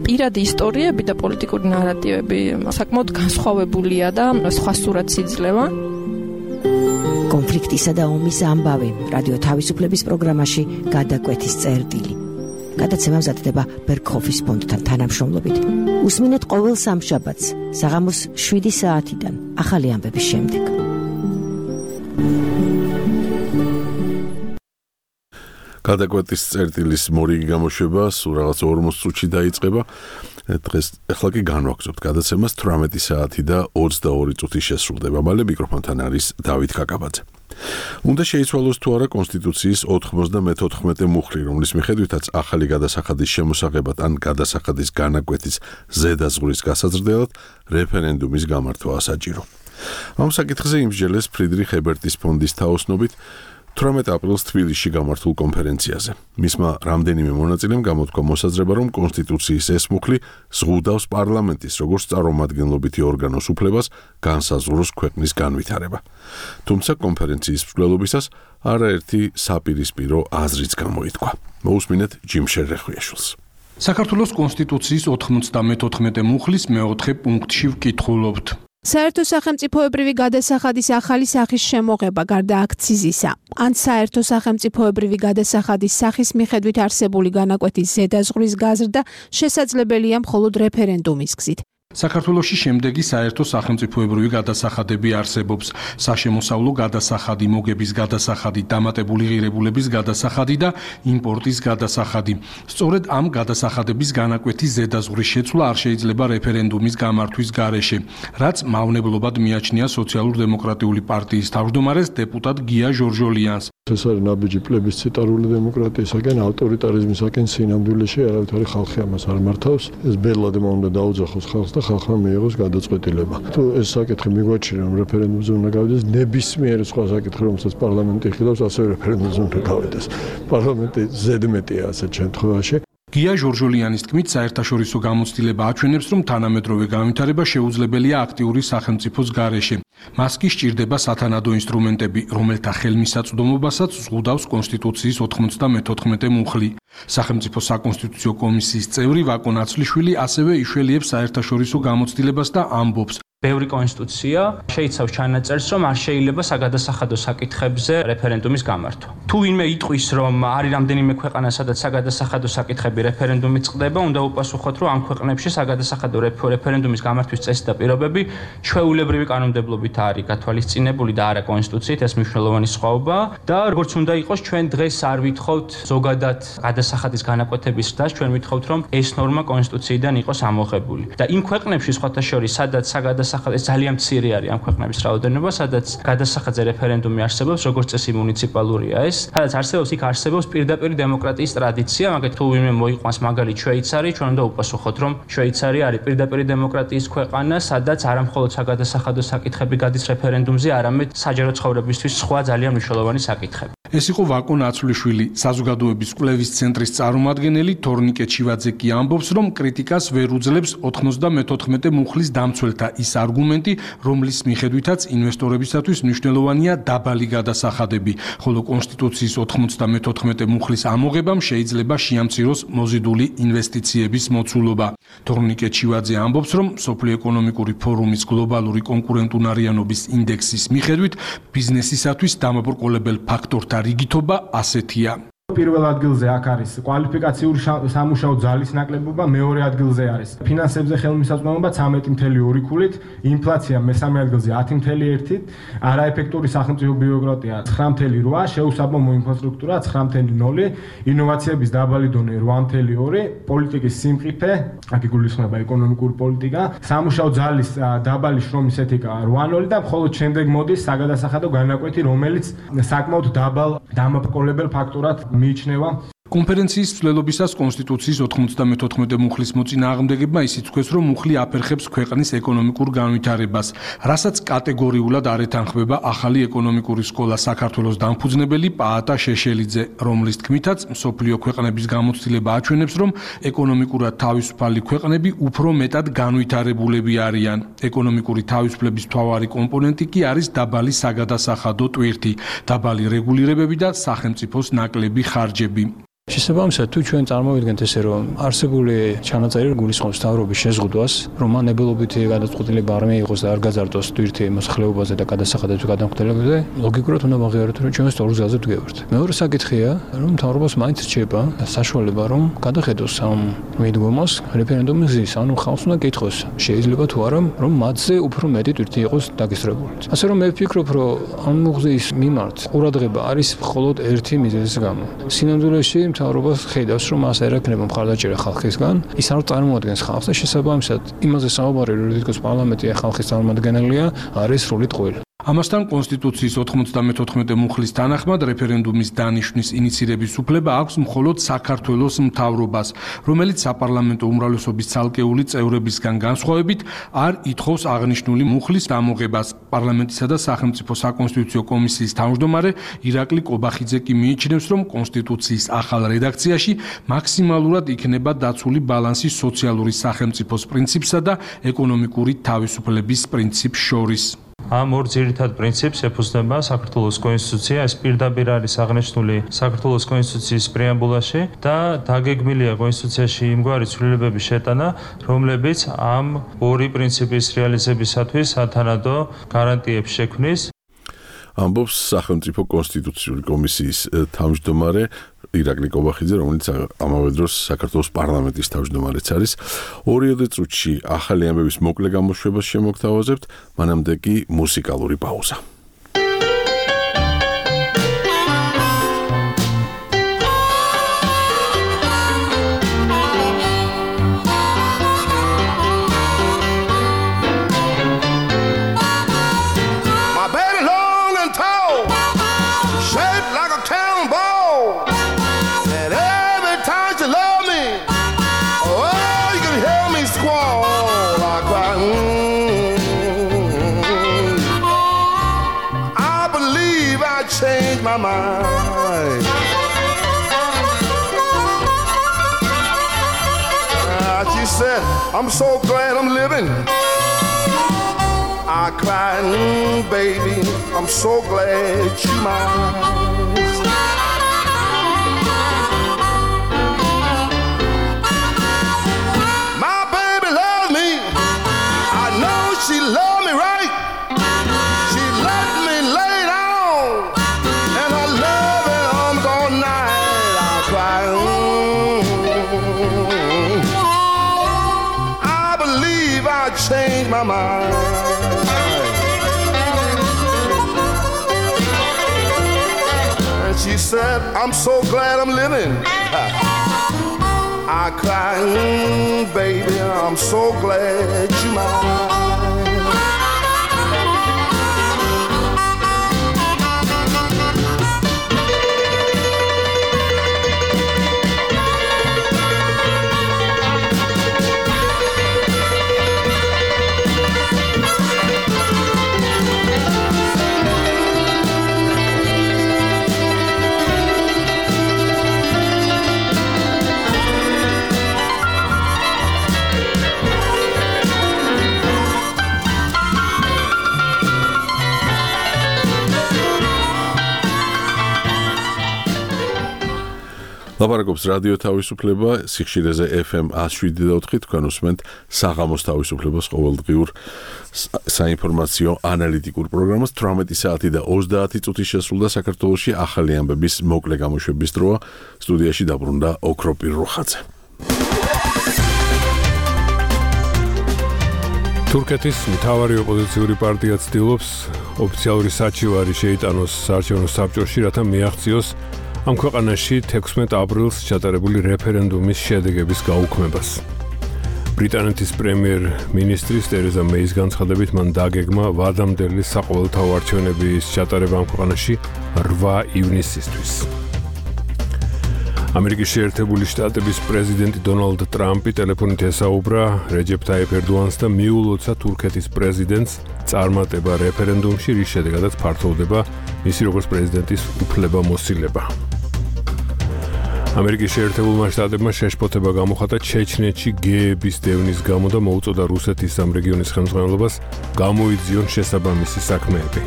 პირადი ისტორიები და პოლიტიკური ნარატივები საკმაოდ განსხვავებულია და სხვა სურათს იძლევა. კონფლიქტისა და ომის ამბავი რადიო თავისუფლების პროგრამაში გადაკვეთის წერტილი. გადაცემა მზადდება ბერგჰოფის ფონდთან თანამშრომლობით. უსმინეთ ყოველ სამშაბათს საღამოს 7 საათიდან ახალი ამბების შემდეგ. გადაკვეთის წერტილის მორიგი გამოშვება სულ რაღაც 40 წუთში დაიწყება. დღეს ახლა კი განვაგრძობთ გადაცემას 18 საათი და 22 წუთი შესრულდება. მალე მიკროფონთან არის დავით კაკაბაძე. უნდა შეიცვალოს თუ არა კონსტიტუციის 94 მუხლი, რომლის მიხედვითაც ახალი გადასახადის შემოსაღებად ან გადასახადის განაკვეთის ზედაზღვრის გასაზრდელად რეფერენდუმის გამართვა საჭირო. ამ საკითხზე იმსჯელეს ფრიდრიხ ებერტის ფონდის თაოსნობით 18 აპრილს თბილისში გამართულ კონფერენციაზე. მისმა რამდენიმე მონაწილემ გამოთქვა მოსაზრება, რომ კონსტიტუციის ეს მუხლი ზღუდავს პარლამენტის როგორც წარმომადგენლობითი ორგანოს უფლებას განსაზღვროს ქვეყნის განვითარება. თუმცა კონფერენციის მსვლელობისას არაერთი საპირისპირო აზრიც გამოითქვა. მოусმინეთ ჯიმ შერეხვიაშვილს. საქართველოს კონსტიტუციის 94 მუხლის მეოთხე პუნქტში ვკითხულობთ. საერთო სახელმწიფოებრივი გადასახადის ახალი სახის შემოღება გარდა აქციზისა, ან საერთო სახელმწიფოებრივი გადასახადის სახის მიხედვით არსებული განაკვეთის ზედაზღვრის გაზრდა შესაძლებელია მხოლოდ რეფერენდუმის გზით. საქართველოში შემდეგი საერთო სახელმწიფოებრივი გადასახადები არსებობს: საშემოსავლო გადასახადი, მოგების გადასახადი, დამატებული ღირებულების გადასახადი და იმპორტის გადასახადი. სწორედ ამ გადასახადების განაკვეთის ზედაზღვრის შეცვლა არ შეიძლება რეფერენდუმის გამართვის გარეშე, რაც მავნებლობად მიაჩნია სოციალურ-დემოკრატიული პარტიის თავმჯდომარეს დეპუტატ გია ჟორჟოლიანს. ეს არის ნაბიჯი პლებისციტარული დემოკრატიისაკენ, ავტორიტარიზმისაკენ სინამდვილეში არავითარი ხალხი ამას არ მართავს. ეს ბელადმა უნდა დაუძახოს ხალხს და ხალხმა მიიღოს გადაწყვეტილება. თუ ეს საკითხი მიგვაჩნია, რომ რეფერენდუმზე უნდა გავიდეს, ნებისმიერ სხვა საკითხი, რომელსაც პარლამენტი იხილავს, ასევე რეფერენდუმზე უნდა გავიდეს. პარლამენტი ზედმეტია ასეთ შემთხვევაში. გია ჟორჟოლიანის თქმით, საერთაშორისო გამოცდილება აჩვენებს, რომ თანამედროვე განვითარება შეუძლებელია აქტიური სახელმწიფოს გარეშე. მას კი სჭირდება სათანადო ინსტრუმენტები, რომელთა ხელმისაწვდომობასაც ზღუდავს კონსტიტუციის 94 მუხლი. სახელმწიფო საკონსტიტუციო კომისიის წევრი ვაკო ნაცლიშვილი ასევე იშველიებს საერთაშორისო გამოცდილებას და ამბობს: ბევრი კონსტიტუცია შეიცავს ჩანაწერს, რომ არ შეიძლება საგადასახადო საკითხებზე რეფერენდუმის გამართვა. თუ ვინმე იტყვის, რომ არის რამდენიმე ქვეყანა, სადაც საგადასახადო საკითხები რეფერენდუმით წყდება, უნდა უპასუხოთ, რომ ამ ქვეყნებში საგადასახადო რეფერენდუმის გამართვის წესი და პირობები ჩვეულებრივი კანონმდებლობით არის გათვალისწინებული და არა კონსტიტუციით, ეს მნიშვნელოვანი სხვაობა და როგორც უნდა იყოს, ჩვენ დღეს არ ვითხოვთ ზოგადად გადასახადის განაკვეთების ზრდას, ჩვენ ვითხოვთ, რომ ეს ნორმა კონსტიტუციიდან იყოს ამოღებული. და იმ ქვეყნებში სხვათა შორის, სადაც ეს ძალიან მცირე არის ამ ქვეყნების რაოდენობა, სადაც გადასახადზე რეფერენდუმი არსებობს, როგორც წესი მუნიციპალურია ეს, სადაც არსებობს იქ არსებობს პირდაპირ დემოკრატიის ტრადიცია, მაგათ თუ ვინმე მოიყვანს მაგალითად შვეიცარი, ჩვენ უნდა უპასუხოთ, რომ შვეიცარი არის პირდაპირ დემოკრატიის ქვეყანა, სადაც არა მხოლოდ საგადასახადო საკითხები გადის რეფერენდუმზე, არამედ საჯარო ცხოვრებისთვის სხვა ძალიან მნიშვნელოვანი საკითხები. ეს იყო ვაკო ნაცვლიშვილი, საზოგადოების კვლევის ცენტრის წარმომადგენელი. თორნიკე ჩივაძე კი ამბობს, რომ კრიტიკას ვერ უძლებს 94 მუხლის დამცველთა ის არგუმენტი, რომლის მიხედვითაც ინვესტორებისათვის მნიშვნელოვანია დაბალი გადასახადები, ხოლო კონსტიტუციის 94 მუხლის ამოღებამ შეიძლება შეამციროს მოზიდული ინვესტიციების მოცულობა. თორნიკე ჩივაძე ამბობს, რომ სოფლიო ეკონომიკური ფორუმის გლობალური კონკურენტუნარიანობის ინდექსის მიხედვით ბიზნესისათვის დამაბრკოლებელ ფაქტორთა რიგითობა ასეთია. პირველ ადგილზე აქ არის კვალიფიკაციური სამუშაო ძალის ნაკლებობა, მეორე ადგილზე არის ფინანსებზე ხელმისაწვდომობა 13.2 ქულით, ინფლაცია მესამე ადგილზე 10.1, არაეფექტური სახელმწიფო ბიუროკრატია 9.8, შეუსაბამო ინფრასტრუქტურა 9.0, ინოვაციების დაბალი დონე 8.2, პოლიტიკის სიმყიფე, აქ იგულისხმება ეკონომიკური პოლიტიკა, სამუშაო ძალის დაბალი შრომის ეთიკა 8.0 და მხოლოდ შემდეგ მოდის საგადასახადო განაკვეთი, რომელიც საკმაოდ დაბალ დამაბრკოლებელ ფაქტორად მიიჩნევა. კონფერენციის მსვლელობისას კონსტიტუციის 94 მუხლის მოწინააღმდეგებმა ისიც თქვეს, რომ მუხლი აფერხებს ქვეყნის ეკონომიკურ განვითარებას, რასაც კატეგორიულად არ ეთანხმება ახალი ეკონომიკური სკოლა საქართველოს დამფუძნებელი პაატა შეშელიძე, რომლის თქმითაც მსოფლიო ქვეყნების გამოცდილება აჩვენებს, რომ ეკონომიკურად თავისუფალი ქვეყნები უფრო მეტად განვითარებულები არიან. ეკონომიკური თავისუფლების მთავარი კომპონენტი კი არის დაბალი საგადასახადო ტვირთი, დაბალი რეგულირებები და სახელმწიფოს ნაკლები ხარჯები. შესაბამისად, თუ ჩვენ წარმოვიდგენთ ესე, რომ არსებული ჩანაწერი გულისხმობს მთავრობის შეზღუდვას, რომ მან ებელობითი გადაწყვეტილება არ მიიღოს და არ გაზარდოს ტვირთი მოსახლეობაზე და გადასახადებზე გადამხდელებზე, ლოგიკურად უნდა ვაღიაროთ, რომ ჩვენ სწორ გზაზე ვდგევართ. მეორე საკითხია, რომ მთავრობას მაინც რჩება საშუალება, რომ გადახედოს ამ მიდგომას რეფერენდუმის გზის, ანუ ხალხს უნდა კითხოს, შეიძლება თუ არა, რომ მათზე უფრო მეტი ტვირთი იყოს დაგესწრებული. ასე რომ მე ვფიქრობ, რომ ამ მუხლის მიმართ ყურადღება არის მხოლოდ ერთი მიზეზის გამო. სინამდვილეში მთავრობას ხედავს, რომ მას არ ექნება მხარდაჭერა ხალხისგან, ის არ წარმოადგენს ხალხს და შესაბამისად იმაზე საუბარი, რომ თითქოს პარლამენტი ხალხის წარმომადგენელია, არის სრული ტყუილი. ამასთან კონსტიტუციის 94 მუხლის თანახმად რეფერენდუმის დანიშვნის ინიცირების უფლება აქვს მხოლოდ საქართველოს მთავრობას, რომელიც საპარლამენტო უმრავლესობის ცალკეული წევრებისგან განსხვავებით არ ითხოვს აღნიშნული მუხლის ამოღებას. პარლამენტისა და სახელმწიფო საკონსტიტუციო კომისიის თავმჯდომარე ირაკლი კობახიძე კი მიიჩნევს, რომ კონსტიტუციის ახალ რედაქციაში მაქსიმალურად იქნება დაცული ბალანსი სოციალური სახელმწიფოს პრინციპსა და ეკონომიკური თავისუფლების პრინციპს შორის. ამ ორ ძირითად პრინციპს ეფუძნება საქართველოს კონსტიტუცია, ეს პირდაპირ არის აღნიშნული საქართველოს კონსტიტუციის პრეამბულაში და დაგეგმილია კონსტიტუციაში იმგვარი ცვლილებების შეტანა, რომლებიც ამ ორი პრინციპის რეალიზებისათვის სათანადო გარანტიებს შექმნის. ამბობს სახელმწიფო კონსტიტუციური კომისიის თავმჯდომარე ირაკლი კობახიძე, რომელიც ამავე დროს საქართველოს პარლამენტის თავმჯდომარეც არის. 2 წუთში ახალი ამბების მოკლე გამოშვებას შემოგთავაზებთ, მანამდე კი მუსიკალური პაუზა. My mind. She said, I'm so glad I'm living. I cried, baby, I'm so glad you're mine. My baby loves me. I know she loves me right. She let me lay down. Change my mind. And she said, I'm so glad I'm living. I cried, baby, I'm so glad you're mine. ლაპარაკობს რადიო თავისუფლება, სიხშირეზე FM 107.4, თქვენ უსმენთ საღამოს თავისუფლებას ყოველდღიურ საინფორმაციო ანალიტიკურ პროგრამას. 18 საათი და 30 წუთი შესრულდა საქართველოში ახალი ამბების მოკლე გამოშვების დროა. სტუდიაში დაბრუნდა ოქროპირ რუხაძე. თურქეთის მთავარი ოპოზიციური პარტია ცდილობს ოფიციალური საჩივარი შეიტანოს საარჩევნო საბჭოში, რათა მიაღწიოს ამ ქვეყანაში 16 აპრილს ჩატარებული რეფერენდუმის შედეგების გაუქმებას. ბრიტანეთის პრემიერ-მინისტრის ტერეზა მეის განცხადებით მან დაგეგმა ვადამდელი საყოველთაო არჩევნების ჩატარება ამ ქვეყანაში 8 ივნისისთვის. ამერიკის შეერთებული შტატების პრეზიდენტი დონალდ ტრამპი ტელეფონით ესაუბრა რეჯეფ ტაიფ ერდოანს და მიულოცა თურქეთის პრეზიდენტს წარმატება რეფერენდუმში, რის შედეგადაც ფართოვდება მისი როგორც პრეზიდენტის უფლებამოსილება. ამერიკის შეერთებულმა შტატებმა შეშფოთება გამოხატა ჩეჩნეთში გეების დევნის გამო და მოუწოდა რუსეთის ამ რეგიონის ხელმძღვანელობას გამოიძიონ შესაბამისი საქმეები.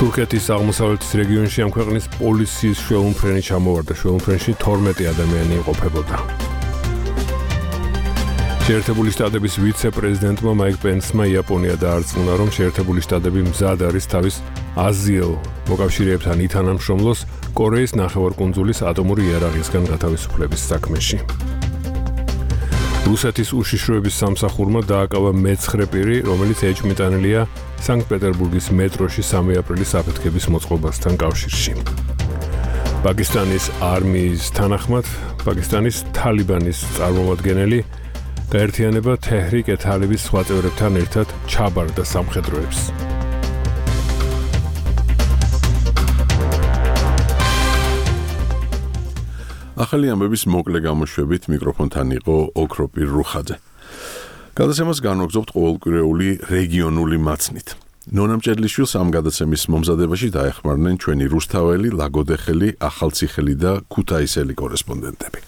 თურქეთის აღმოსავლეთის რეგიონში ამ ქვეყნის პოლიციის შველმფრენი ჩამოვარდა. შველმფრენში 12 ადამიანი იმყოფებოდა. შეერთებული შტატების ვიცე-პრეზიდენტმა მაიკ პენსმა იაპონია დაარწმუნა, რომ შეერთებული შტატები მზად არის თავის აზიელ მოკავშირეებთან ითანამშრომლოს კორეის ნახევარკუნძულის ატომური იარაღისგან გათავისუფლების საქმეში. რუსეთის უშიშროების სამსახურმა დააკავა მე-9 პირი, რომელიც ეჭვმიტანილია სანქტ-პეტერბურგის მეტროში 3 აპრილის აფეთქების მოწყობასთან კავშირში. პაკისტანის არმიის თანახმად, პაკისტანის თალიბანის წარმომადგენელი გაერთიანება თეჰრიკ-ე-თალიბის სხვა წევრებთან ერთად ჩაბარდა სამხედროებს. ახალი ამბების მოკლე გამოშვებით მიკროფონთან იყო ოქროპირ რუხაძე. გადაცემას განვაგრძობთ ყოველკვირეული რეგიონული მაცნით. ნონა მჭედლიშვილს ამ გადაცემის მომზადებაში დაეხმარნენ ჩვენი რუსთაველი, ლაგოდეხელი, ახალციხელი და ქუთაისელი კორესპონდენტები.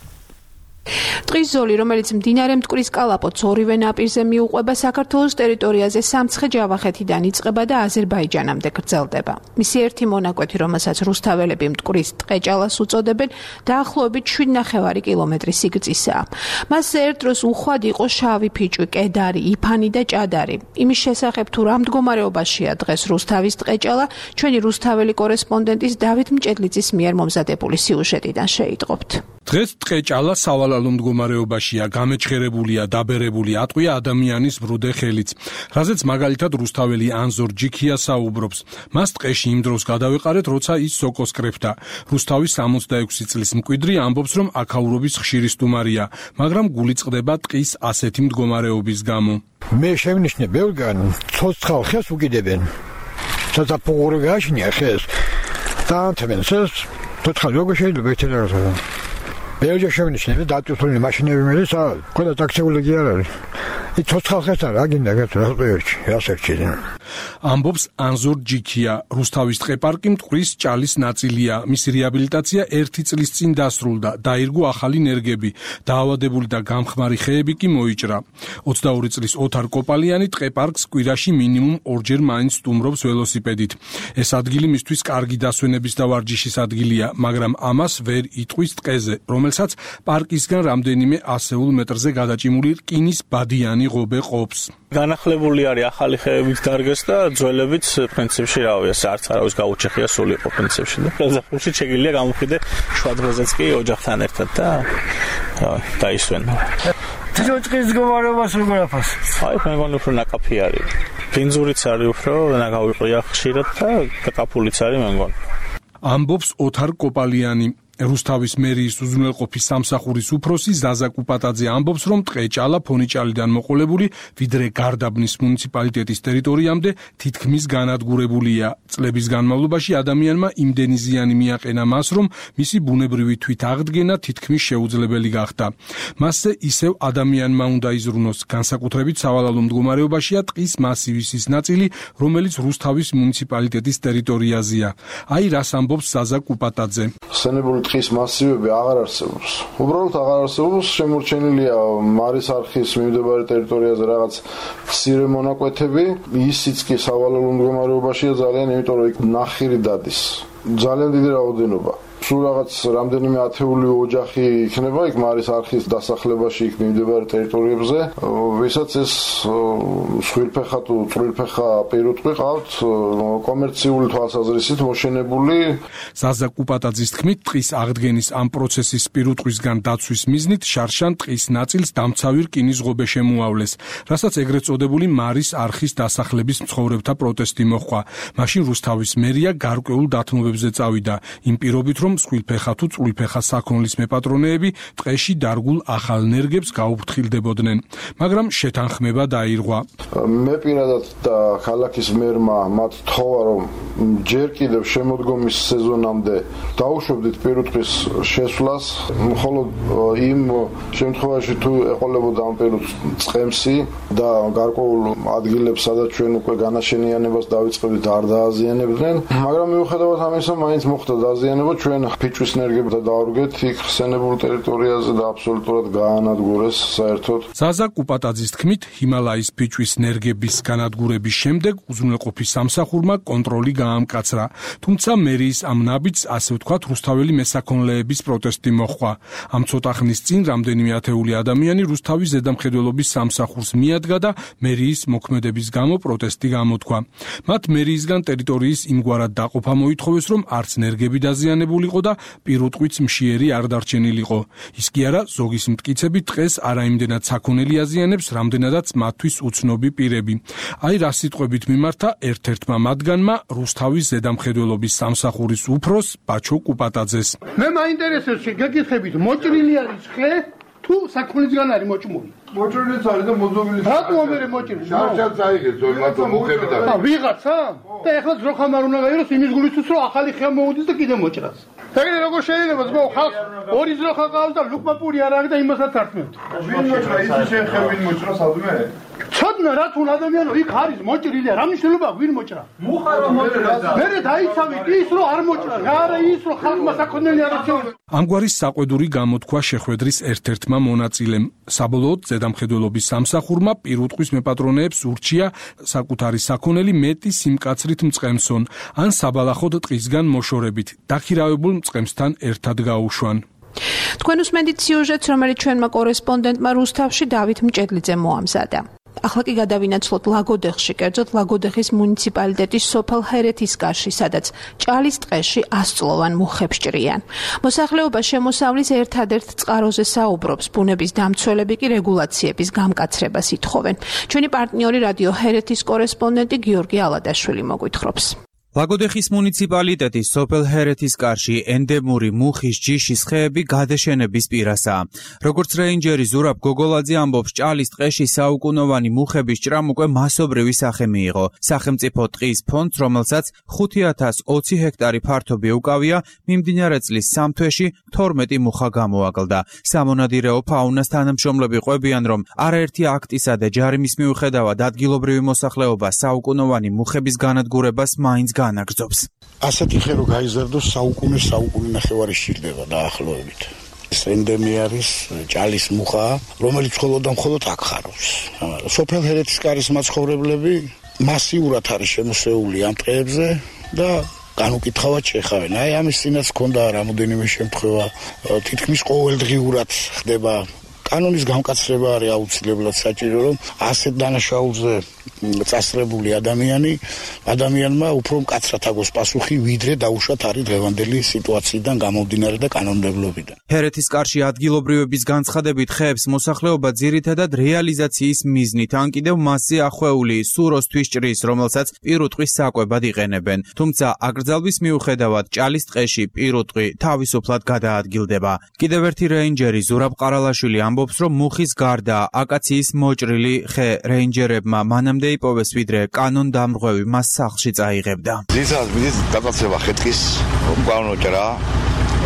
ტყის ზოლი, რომელიც მდინარე მტკვრის კალაპოტს ორივე ნაპირზე მიუყვება, საქართველოს ტერიტორიაზე სამცხე-ჯავახეთიდან იწყება და აზერბაიჯანამდე გრძელდება. მისი ერთი მონაკვეთი, რომელსაც რუსთაველები მტკვრის ტყეჭალას უწოდებენ, დაახლოებით 7,5 კილომეტრი სიგრძისაა. მასზე ერთ დროს უხვად იყო შავი ფიჭვი, კედარი, იფანი და ჭადარი. იმის შესახებ თუ რა მდგომარეობაშია დღეს რუსთავის ტყეჭალა, ჩვენი რუსთაველი კორესპონდენტის დავით მჭედლიძის მიერ მომზადებული სიუჟეტიდან შეიტყობთ. დღეს ტყეჭალა სავალალო მდგომარეობაშია, გამეჩხერებულია, დაბერებული, ატყვია ადამიანის ბრუდე ხელიც. რაზეც მაგალითად რუსთაველი ანზორ ჯიქია საუბრობს. მას ტყეში იმ დროს გადავეყარეთ, როცა ის სოკოს კრეფდა. რუსთავის 66 წლის მკვიდრი ამბობს, რომ აქაურობის ხშირი სტუმარია, მაგრამ გული წყდება ტყის ასეთი მდგომარეობის გამო. მე შევნიშნე ბევრგან, ცოცხალ ხეს უკიდებენ. საზაფხულო გაშინია ხეს. დაანთებენ ეს ცოცხალ როგორ შეიძლება ეთერა. ბევრჯერ შევნიშნე და დაწვეული მაშინები მეც ყველა ტაქსიული კი არ არის. ის ცოცხალ ხეს არა, აგინდა გასწორებში, ასერჩიდან. ამბობს ანზორ ჯიქია. რუსთავის ტყე-პარკი მტკვრის ჭალის ნაწილია. მისი რეაბილიტაცია 1 წლის წინ დასრულდა. დაირგო ახალი ნერგები. დაავადებული და გამხმარი ხეები კი მოიჭრა. 22 წლის ოთარ კოპალიანი ტყე-პარკს კვირაში მინიმუმ 2-ჯერ მაინც სტუმრობს ველოსიპედით. ეს ადგილი მისთვის კარგი დასვენების და ვარჯიშის ადგილია, მაგრამ ამას ვერ იტყვის ტყეზე, რომელსაც პარკისგან რამდენიმე ასეულ მეტრზე გადაჭიმული რკინის ბადიანი ღობე ყოფს. განახლებული არის ახალი ხეების დარგეს და ძველებიც პრინციპში რავია, არც არავის გაუჩეხია სულ იყო პრინციპში და ზაფხულში შეგიძლია გამოვხიდე შუა დროზეც კი ოჯახთან ერთად და დაისვენა. თვითონ მდგომარეობას როგორ აფას? აი, მე მგონი უფრო ნაკაფი არის. ბინზურიც არის უფრო ნაგავიყია ხშირად და კაკაფულიც არის მე მგონი. ამბობს ოთარ კოპალიანი. რუსთავის მერიის უზრუნველყოფის სამსახურის უფროსი ზაზა კუპატაძე ამბობს, რომ ტყეჭალა ფონიჭალიდან მოყოლებული, ვიდრე გარდაბნის მუნიციპალიტეტის ტერიტორიამდე თითქმის განადგურებულია. წლების განმავლობაში ადამიანმა იმდენი ზიანი მიაყენა მას, რომ მისი ბუნებრივი თვითაღდგენა თითქმის შეუძლებელი გახდა. მასზე ისევ ადამიანმა უნდა იზრუნოს, განსაკუთრებით სავალალო მდგომარეობაშია ტყის მასივის ის ნაწილი, რომელიც რუსთავის მუნიციპალიტეტის ტერიტორიაზეა. აი რას ამბობს ზაზა კუპატაძე. ტყის მასივები აღარ არსებობს. უბრალოდ აღარ არსებობს, შემორჩენილია მარის არხის მიმდებარე ტერიტორიაზე რაღაც მცირე მონაკვეთები, ისიც კი სავალალო მდგომარეობაშია ძალიან, იმიტომ რომ იქ ნახირი დადის. ძალიან დიდი რაოდენობა. სულ რაღაც რამდენიმე ათეული ოჯახი იქნება იქ მარის არხის დასახლებაში იქ მიმდებარე ტერიტორიებზე, ვისაც ეს სხვილფეხა თუ წვრილფეხა პირუტყვი ყავთ კომერციული თვალსაზრისით მოშენებული. ზაზა კუპატაძის თქმით, ტყის აღდგენის ამ პროცესის პირუტყვისგან დაცვის მიზნით შარშან ტყის ნაწილს დამცავი რკინის ღობე შემოავლეს, რასაც ეგრეთ წოდებული მარის არხის დასახლების მცხოვრებთა პროტესტი მოჰყვა. მაშინ რუსთავის მერია გარკვეულ დათმობებზე წავიდა, იმ პირობით, რომ სხვილფეხა თუ წვრილფეხა საქონლის მეპატრონეები ტყეში დარგულ ახალ ნერგებს გაუფრთხილდებოდნენ, მაგრამ შეთანხმება დაირღვა. მე პირადად და ქალაქის მერმა მათ თხოვა, რომ ჯერ კიდევ შემოდგომის სეზონამდე დაუშვებდით პირუტყვის შესვლას, მხოლოდ იმ შემთხვევაში თუ ეყოლებოდა ამ პირუტყვის წყემსი და გარკვეულ ადგილებს, სადაც ჩვენ უკვე განაშენიანებას დავიწყებდით, არ დააზიანებდნენ, მაგრამ მიუხედავად ამისა, მაინც მოხდა დაზიანება, ჩვენ ფიჭვის ნერგებთან დავარგეთ იქ ხსენებულ ტერიტორიაზე და აბსოლუტურად გაანადგურეს საერთოდ. ზაზა კუპატაძის თქმით, ჰიმალაის ფიჭვის ნერგების განადგურების შემდეგ უზრუნველყოფის სამსახურმა კონტროლი გაამკაცრა, თუმცა მერიის ამ ნაბიჯს, ასე ვთქვათ, რუსთაველი მესაქონლეების პროტესტი მოჰყვა. ამ ცოტა ხნის წინ რამდენიმე ათეული ადამიანი რუსთავის ზედამხედველობის სამსახურს მიადგა და მერიის მოქმედების გამო პროტესტი გამოთქვა. მათ მერიისგან ტერიტორიის იმგვარად დაყოფა მოითხოვეს, რომ არც ნერგები დაზიანებულიყო და პირუტყვიც მშიერი არ დარჩენილიყო. ის კი არა, ზოგის მტკიცებით ტყეს არაიმდენად საქონელი აზიანებს, რამდენადაც მათთვის უცნობი პირები. აი რა სიტყვებით მიმართა ერთ-ერთმა მათგანმა რუსთავის ზედამხედველობის სამსახურის უფროს ბაჩო კუპატაძეს. მე მაინტერესებს შეგეკითხებით, მოჭრილი არის ხე თუ საქონლისგან არის მოჭმული? მოჭრილიც არის და მოძობილი. რატო ამერე მოჭრილი? შარშანს აიღეს, ზოგადად მოხებით არის. ვიღაცა? და ეხლა ძროხამ არ უნდა გაიგოს იმის გულისთვის, რომ ახალი ხე მოუდის და კიდე მოჭრას. ეგრე როგორ შეიძლება ძმო, ხალხს ორი ძროხა ყავს და ლუკმა პური არ არის და იმასაც ართმევთ. ვინ მოჭრა, ისე შეხე ვინ მოჭრა სადმე? ცოდნა რა თუ ადამიანო იქ არის მოჭრილი, რა მნიშვნელობა ვინ მოჭრა? მუხა რომ მოჭრა. მე დაიცავით ის რომ არ მოჭრა, არა ის რომ ხალხმა საქონელი არ აჩვენა. ამგვარი საყვედური გამოთქვა შეხვედრის ერთ-ერთმა მონაწილემ. საბოლოოდ ზედამხედველობის სამსახურმა პირუტყვის მეპატრონეებს ურჩია საკუთარი საქონელი მეტი სიმკაცრით მწყემსონ, ან საბალახოდ ტყისგან მოშორებით დაქირავებულ მწყემსთან ერთად გაუშვან. თქვენ უსმენთ სიუჟეტს, რომელიც ჩვენმა კორესპონდენტმა რუსთავში დავით მჭედლიძემ მოამზადა. ახლა კი გადავინაცვლოთ ლაგოდეხში, კერძოდ ლაგოდეხის მუნიციპალიტეტის სოფელ ჰერეთისკარში, სადაც ჭალის ტყეში 100 წლოვან მუხებს ჭრიან. მოსახლეობა შემოსავლის ერთადერთ წყაროზე საუბრობს, ბუნების დამცველები კი რეგულაციების გამკაცრებას ითხოვენ. ჩვენი პარტნიორი რადიო ჰერეთის კორესპონდენტი გიორგი ალადაშვილი მოგვითხრობს. ლაგოდეხის მუნიციპალიტეტის სოფელ ჰერეთისკარში ენდემური მუხის ჯიშის ხეები გადაშენების პირასაა. როგორც რეინჯერი ზურაბ გოგოლაძე ამბობს, ჭალის ტყეში საუკუნოვანი მუხების ჭრამ უკვე მასობრივი სახე მიიღო. სახელმწიფო ტყის ფონდს, რომელსაც 5020 ჰექტარი ფართობი უკავია, მიმდინარე წლის 3 თვეში 12 მუხა გამოაკლდა. სამონადირეო ფაუნას თანამშრომლები ყვებიან, რომ არაერთი აქტისა და ჯარიმის მიუხედავად ადგილობრივი მოსახლეობა საუკუნოვანი მუხების განადგურებას მაინც განაგრძობს. ასეთი ხე რო გაიზარდოს საუკუნე ნახევარი სჭირდება დაახლოებით. ეს ენდემი არის ჭალის მუხა, რომელიც მხოლოდ აქ ხარობს. სოფელ ჰერეთისკარის მაცხოვრებლები მასიურად არის შემოსეული ამ ტყეებზე და განუკითხავად შეხავენ. აი ამის წინაც ქონდა რამოდენიმე შემთხვევა, თითქმის ყოველდღიურად ხდება. კანონის გამკაცრება არის აუცილებლად საჭირო, რომ ასეთ დანაშაულზე წასწრებული ადამიანმა უფრო მკაცრად აგოს პასუხი, ვიდრე დაუშვათ არის დღევანდელი სიტუაციიდან გამომდინარე და კანონმდებლობიდან. ჰერეთისკარში ადგილობრივების განცხადებით ხეებს მოსახლეობა ძირითადად რეალიზაციის მიზნით, ან კიდევ მასზე ახვეული სუროს თვისჭრის, რომელსაც პირუტყვის საკვებად იყენებენ. თუმცა აკრძალვის მიუხედავად ჭალის ტყეში პირუტყვი თავისუფლად გადაადგილდება. კიდევ ერთი რეინჯერი ზურაბ ყარალაშვილი ამბობს, რომ მუხის გარდა აკაციის მოჭრილი ხე რეინჯერებმა მანამდე იპოვეს, ვიდრე კანონდამრღვევი მას სახლში წაიღებდა. ძირითადად მიდის გადაცემა ხეთქის უკანონო ჭრა,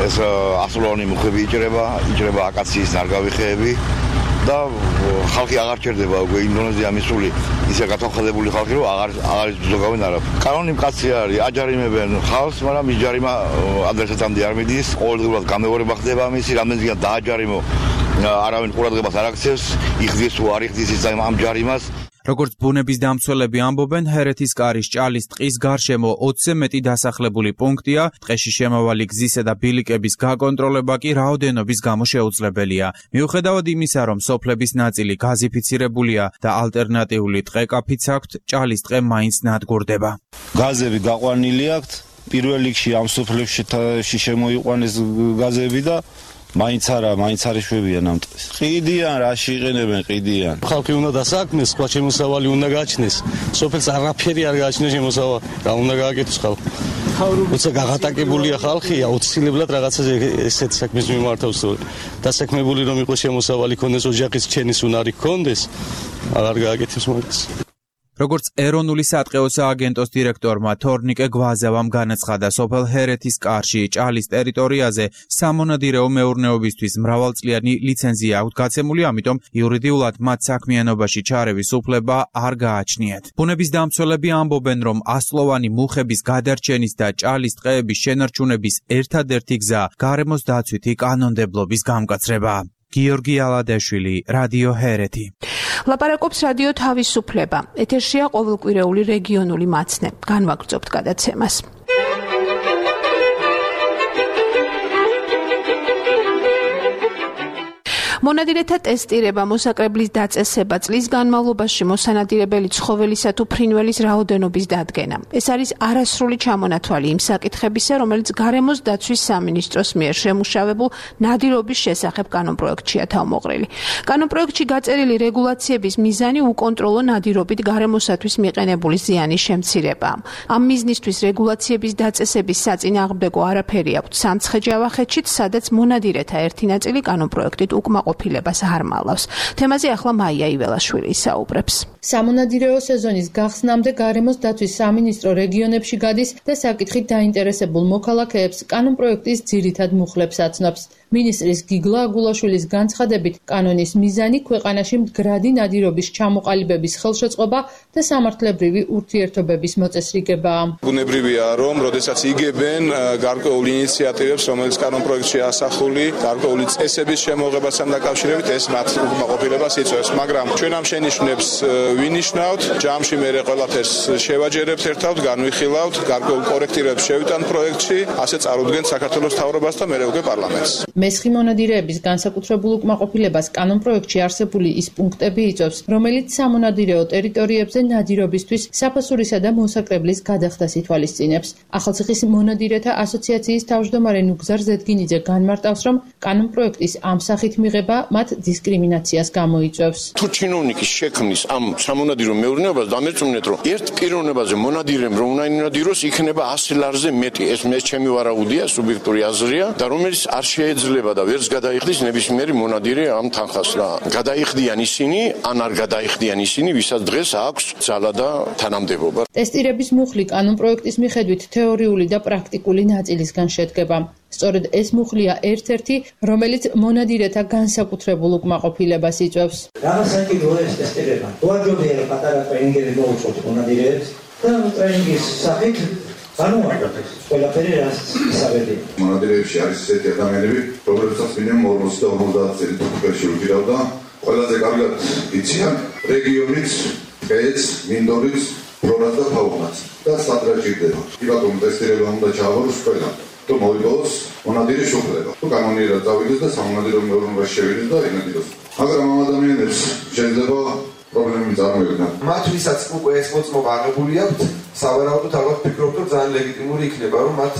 ეს 100 წლოვანი მუხები იჭრება აკაციის ნარგავი ხეები და ხალხი აღარ ჭერდება უკვე ინდონეზია მისული ისე გათვალხადებული ხალხი, რომ აღარ იზოგავენ არაფერს. კანონი მკაცრი არის, აჯარიმებენ ხალხს, მაგრამ ის ჯარიმა ადრესატამდე არ მიდის, ყოველდღიურად გამეორება ხდება მისი, რამდენჯერმე დააჯარიმო, არავინ ყურადღებას არ აქცევს, იხდის თუ არ იხდის ის ამ ჯარიმას. როგორც ბუნების დამცველები ამბობენ, ჰერეთის კარის ჭალის ტყის გარშემო 20-ზე მეტი დასახლებული პუნქტია, ტყეში შემავალი გზისა და ბილიკების გაკონტროლება კი რაოდენობის გამო შეუძლებელია. მიუხედავად იმისა, რომ სოფლების ნაწილი გაზიფიცირებულია და ალტერნატიული ტყეკაფიც აქვთ, ჭალის ტყე მაინც ნადგურდება. გაზები გაყვანილი აქვთ, პირველ რიგში ამ სოფლებში შემოიყვანეს გაზები და მაინც არის შვებიან ამ ტყეს. ყიდიან, რაში იყენებენ ყიდიან. ხალხი უნდა დასაქმეს, სხვა შემოსავალი უნდა გააჩნდეს. სოფელს არაფერი არ გააჩნია შემოსავალი. რა უნდა გააკეთოს ხალხი? როცა გაღატაკებულია ხალხია, აუცილებლად რაღაცაზე ესეთ საქმეს მიმართავს. დასაქმებული რომ იყოს შემოსავალი ქონდეს, ოჯახის ჩენის უნარი ქონდეს, აღარ გააკეთებს მაგას. როგორც ეროვნული სატყეო სააგენტოს დირექტორმა თორნიკე გვაზავამ განაცხადა, სოფელ ჰერეთის კარში ჭალის ტერიტორიაზე სამონადირეო მეურნეობისთვის მრავალწლიანი ლიცენზია აქვს გაცემული, ამიტომ იურიდიულად მათ საქმიანობაში ჩარევის უფლება არ გააჩნიათ. ბუნების დამცველები ამბობენ, რომ ასლოვანი მუხების გადარჩენის და ჭალის ტყეების შენარჩუნების ერთადერთი გზა გარემოს დაცვითი კანონმდებლობის გამკაცრება. გიორგი ალადეშვილი, რადიო ჰერეთი. ლაპარაკობს რადიო თავისუფლება. ეთერშია ყოველკვირეული რეგიონული მაცნე. განვაგრძობთ გადაცემას. მონადირეთა ტესტირება, მოსაკრებლის დაწესება, წლის განმავლობაში მოსანადირებელი ცხოველისა თუ ფრინველის რაოდენობის დადგენა. ეს არის არასრული ჩამონათვალი იმ საკითხებისა, რომელიც გარემოს დაცვის სამინისტროს მიერ შემუშავებულ ნადირობის შესახებ კანონპროექტშია თავმოყრილი. კანონპროექტში გაწერილი რეგულაციების მიზანი უკონტროლო ნადირობით გარემოსათვის მიყენებული ზიანის შემცირებაა. ამ მიზნისთვის რეგულაციების დაწესების საწინააღმდეგო არაფერი აქვთ სამცხე-ჯავახეთშიც, სადაც მონადირეთა ერთი ნაწილი კანონპროექტით უკმაყოფილებას არ მალავს. თემაზე ახლა მაია იველაშვილი ისაუბრებს. სამონადირეო სეზონის გახსნამდე გარემოს დაცვის სამინისტრო რეგიონებში გადის და საკითხით დაინტერესებულ მოქალაქეებს კანონპროექტის ძირითად მუხლებს აცნობს. მინისტრის გიგლა აგულაშვილის განცხადებით, კანონის მიზანი ქვეყანაში მდგრადი ნადირობის ჩამოყალიბების ხელშეწყობა და სამართლებრივი ურთიერთობების მოწესრიგებაა. ბუნებრივია, რომ როდესაც იგებენ გარკვეულ ინიციატივებს, რომელიც კანონპროექტში ასახული, გარკვეული წესების შემოღებასთან დაკავშირებით, ეს მათ უკმაყოფილებას იწვევს, მაგრამ ჩვენ ამ შენიშვნებს ვინიშნავთ, ჯამში მერე ყველაფერს შევაჯერებთ ერთად, განვიხილავთ, გარკვეულ კორექტირებს შევიტანთ პროექტში, ასე წარუდგენთ საქართველოს მთავრობას და მერე უკვე პარლამენტს. მესხი მონადირეების განსაკუთრებულ უკმაყოფილებას კანონპროექტში არსებული ის პუნქტები იწვევს, რომელიც სამონადირეო ტერიტორიებზე ნადირობისთვის საფასურისა და მოსაკრებლის გადახდას ითვალისწინებს. ახალციხის მონადირეთა ასოციაციის თავმჯდომარე ნუგზარ ზედგინიძე განმარტავს, რომ კანონპროექტის ამ სახით მიღება მათ დისკრიმინაციას გამოიწვევს. თუ ჩინოვნიკის შექმნის ამ სამონადირო მეურნეობას დამერწმუნეთ, რომ ერთ პიროვნებაზე მონადირემ რომ უნდა ინადიროს, იქნება 100 ლარზე მეტი. ეს მე ჩემი ვარაუდია, სუბიექტური აზრია და რომელიც არ შეეძლება და ვერც გადაიხდის ნებისმიერი მონადირე ამ თანხას რა. გადაიხდიან ისინი, ან არ გადაიხდიან ისინი, ვისაც დღეს აქვს ძალა და თანამდებობა. ტესტირების მუხლი კანონპროექტის მიხედვით თეორიული და პრაქტიკული ნაწილისგან შედგება. სწორედ ეს მუხლია ერთ-ერთი, რომელიც მონადირეთა განსაკუთრებულ უკმაყოფილებას იწვევს. რა საკითხია ეს ტესტირება? გვაჯობია რომ პატარა ტრენინგები მოუწოთ მონადირეებს და ტრენინგის სახით განუარდებს ყველაფერი რაც ისავედი. მონადირეებში არის ესეთი ადამიანები, რომლებსაც მინიმუმ 40 წელი თურქეთში უჭირავდა, ყველაზე კარგად იციან რეგიონის, ეს მინდორის ფლორას და ფაუნას და სადრაჭირდება. იბატონ ტესტირება უნდა ჩააბაროს ყველა. თუ მოიგოს მონადირის უფლება. თუ კანონიერად წავიდეს და სამონადირო მეურნეობაში შევიდეს და ინადიროს. მაგრამ ამ ადამიანებს შეიძლება პრობლემები წარმოიქმნან. მათ ვისაც უკვე ეს მოწმობა აღებული აქვთ, სავარაუდოდ ალბათ ფიქრობთ, რომ ძალიან ლეგიტიმური იქნება, რომ მათ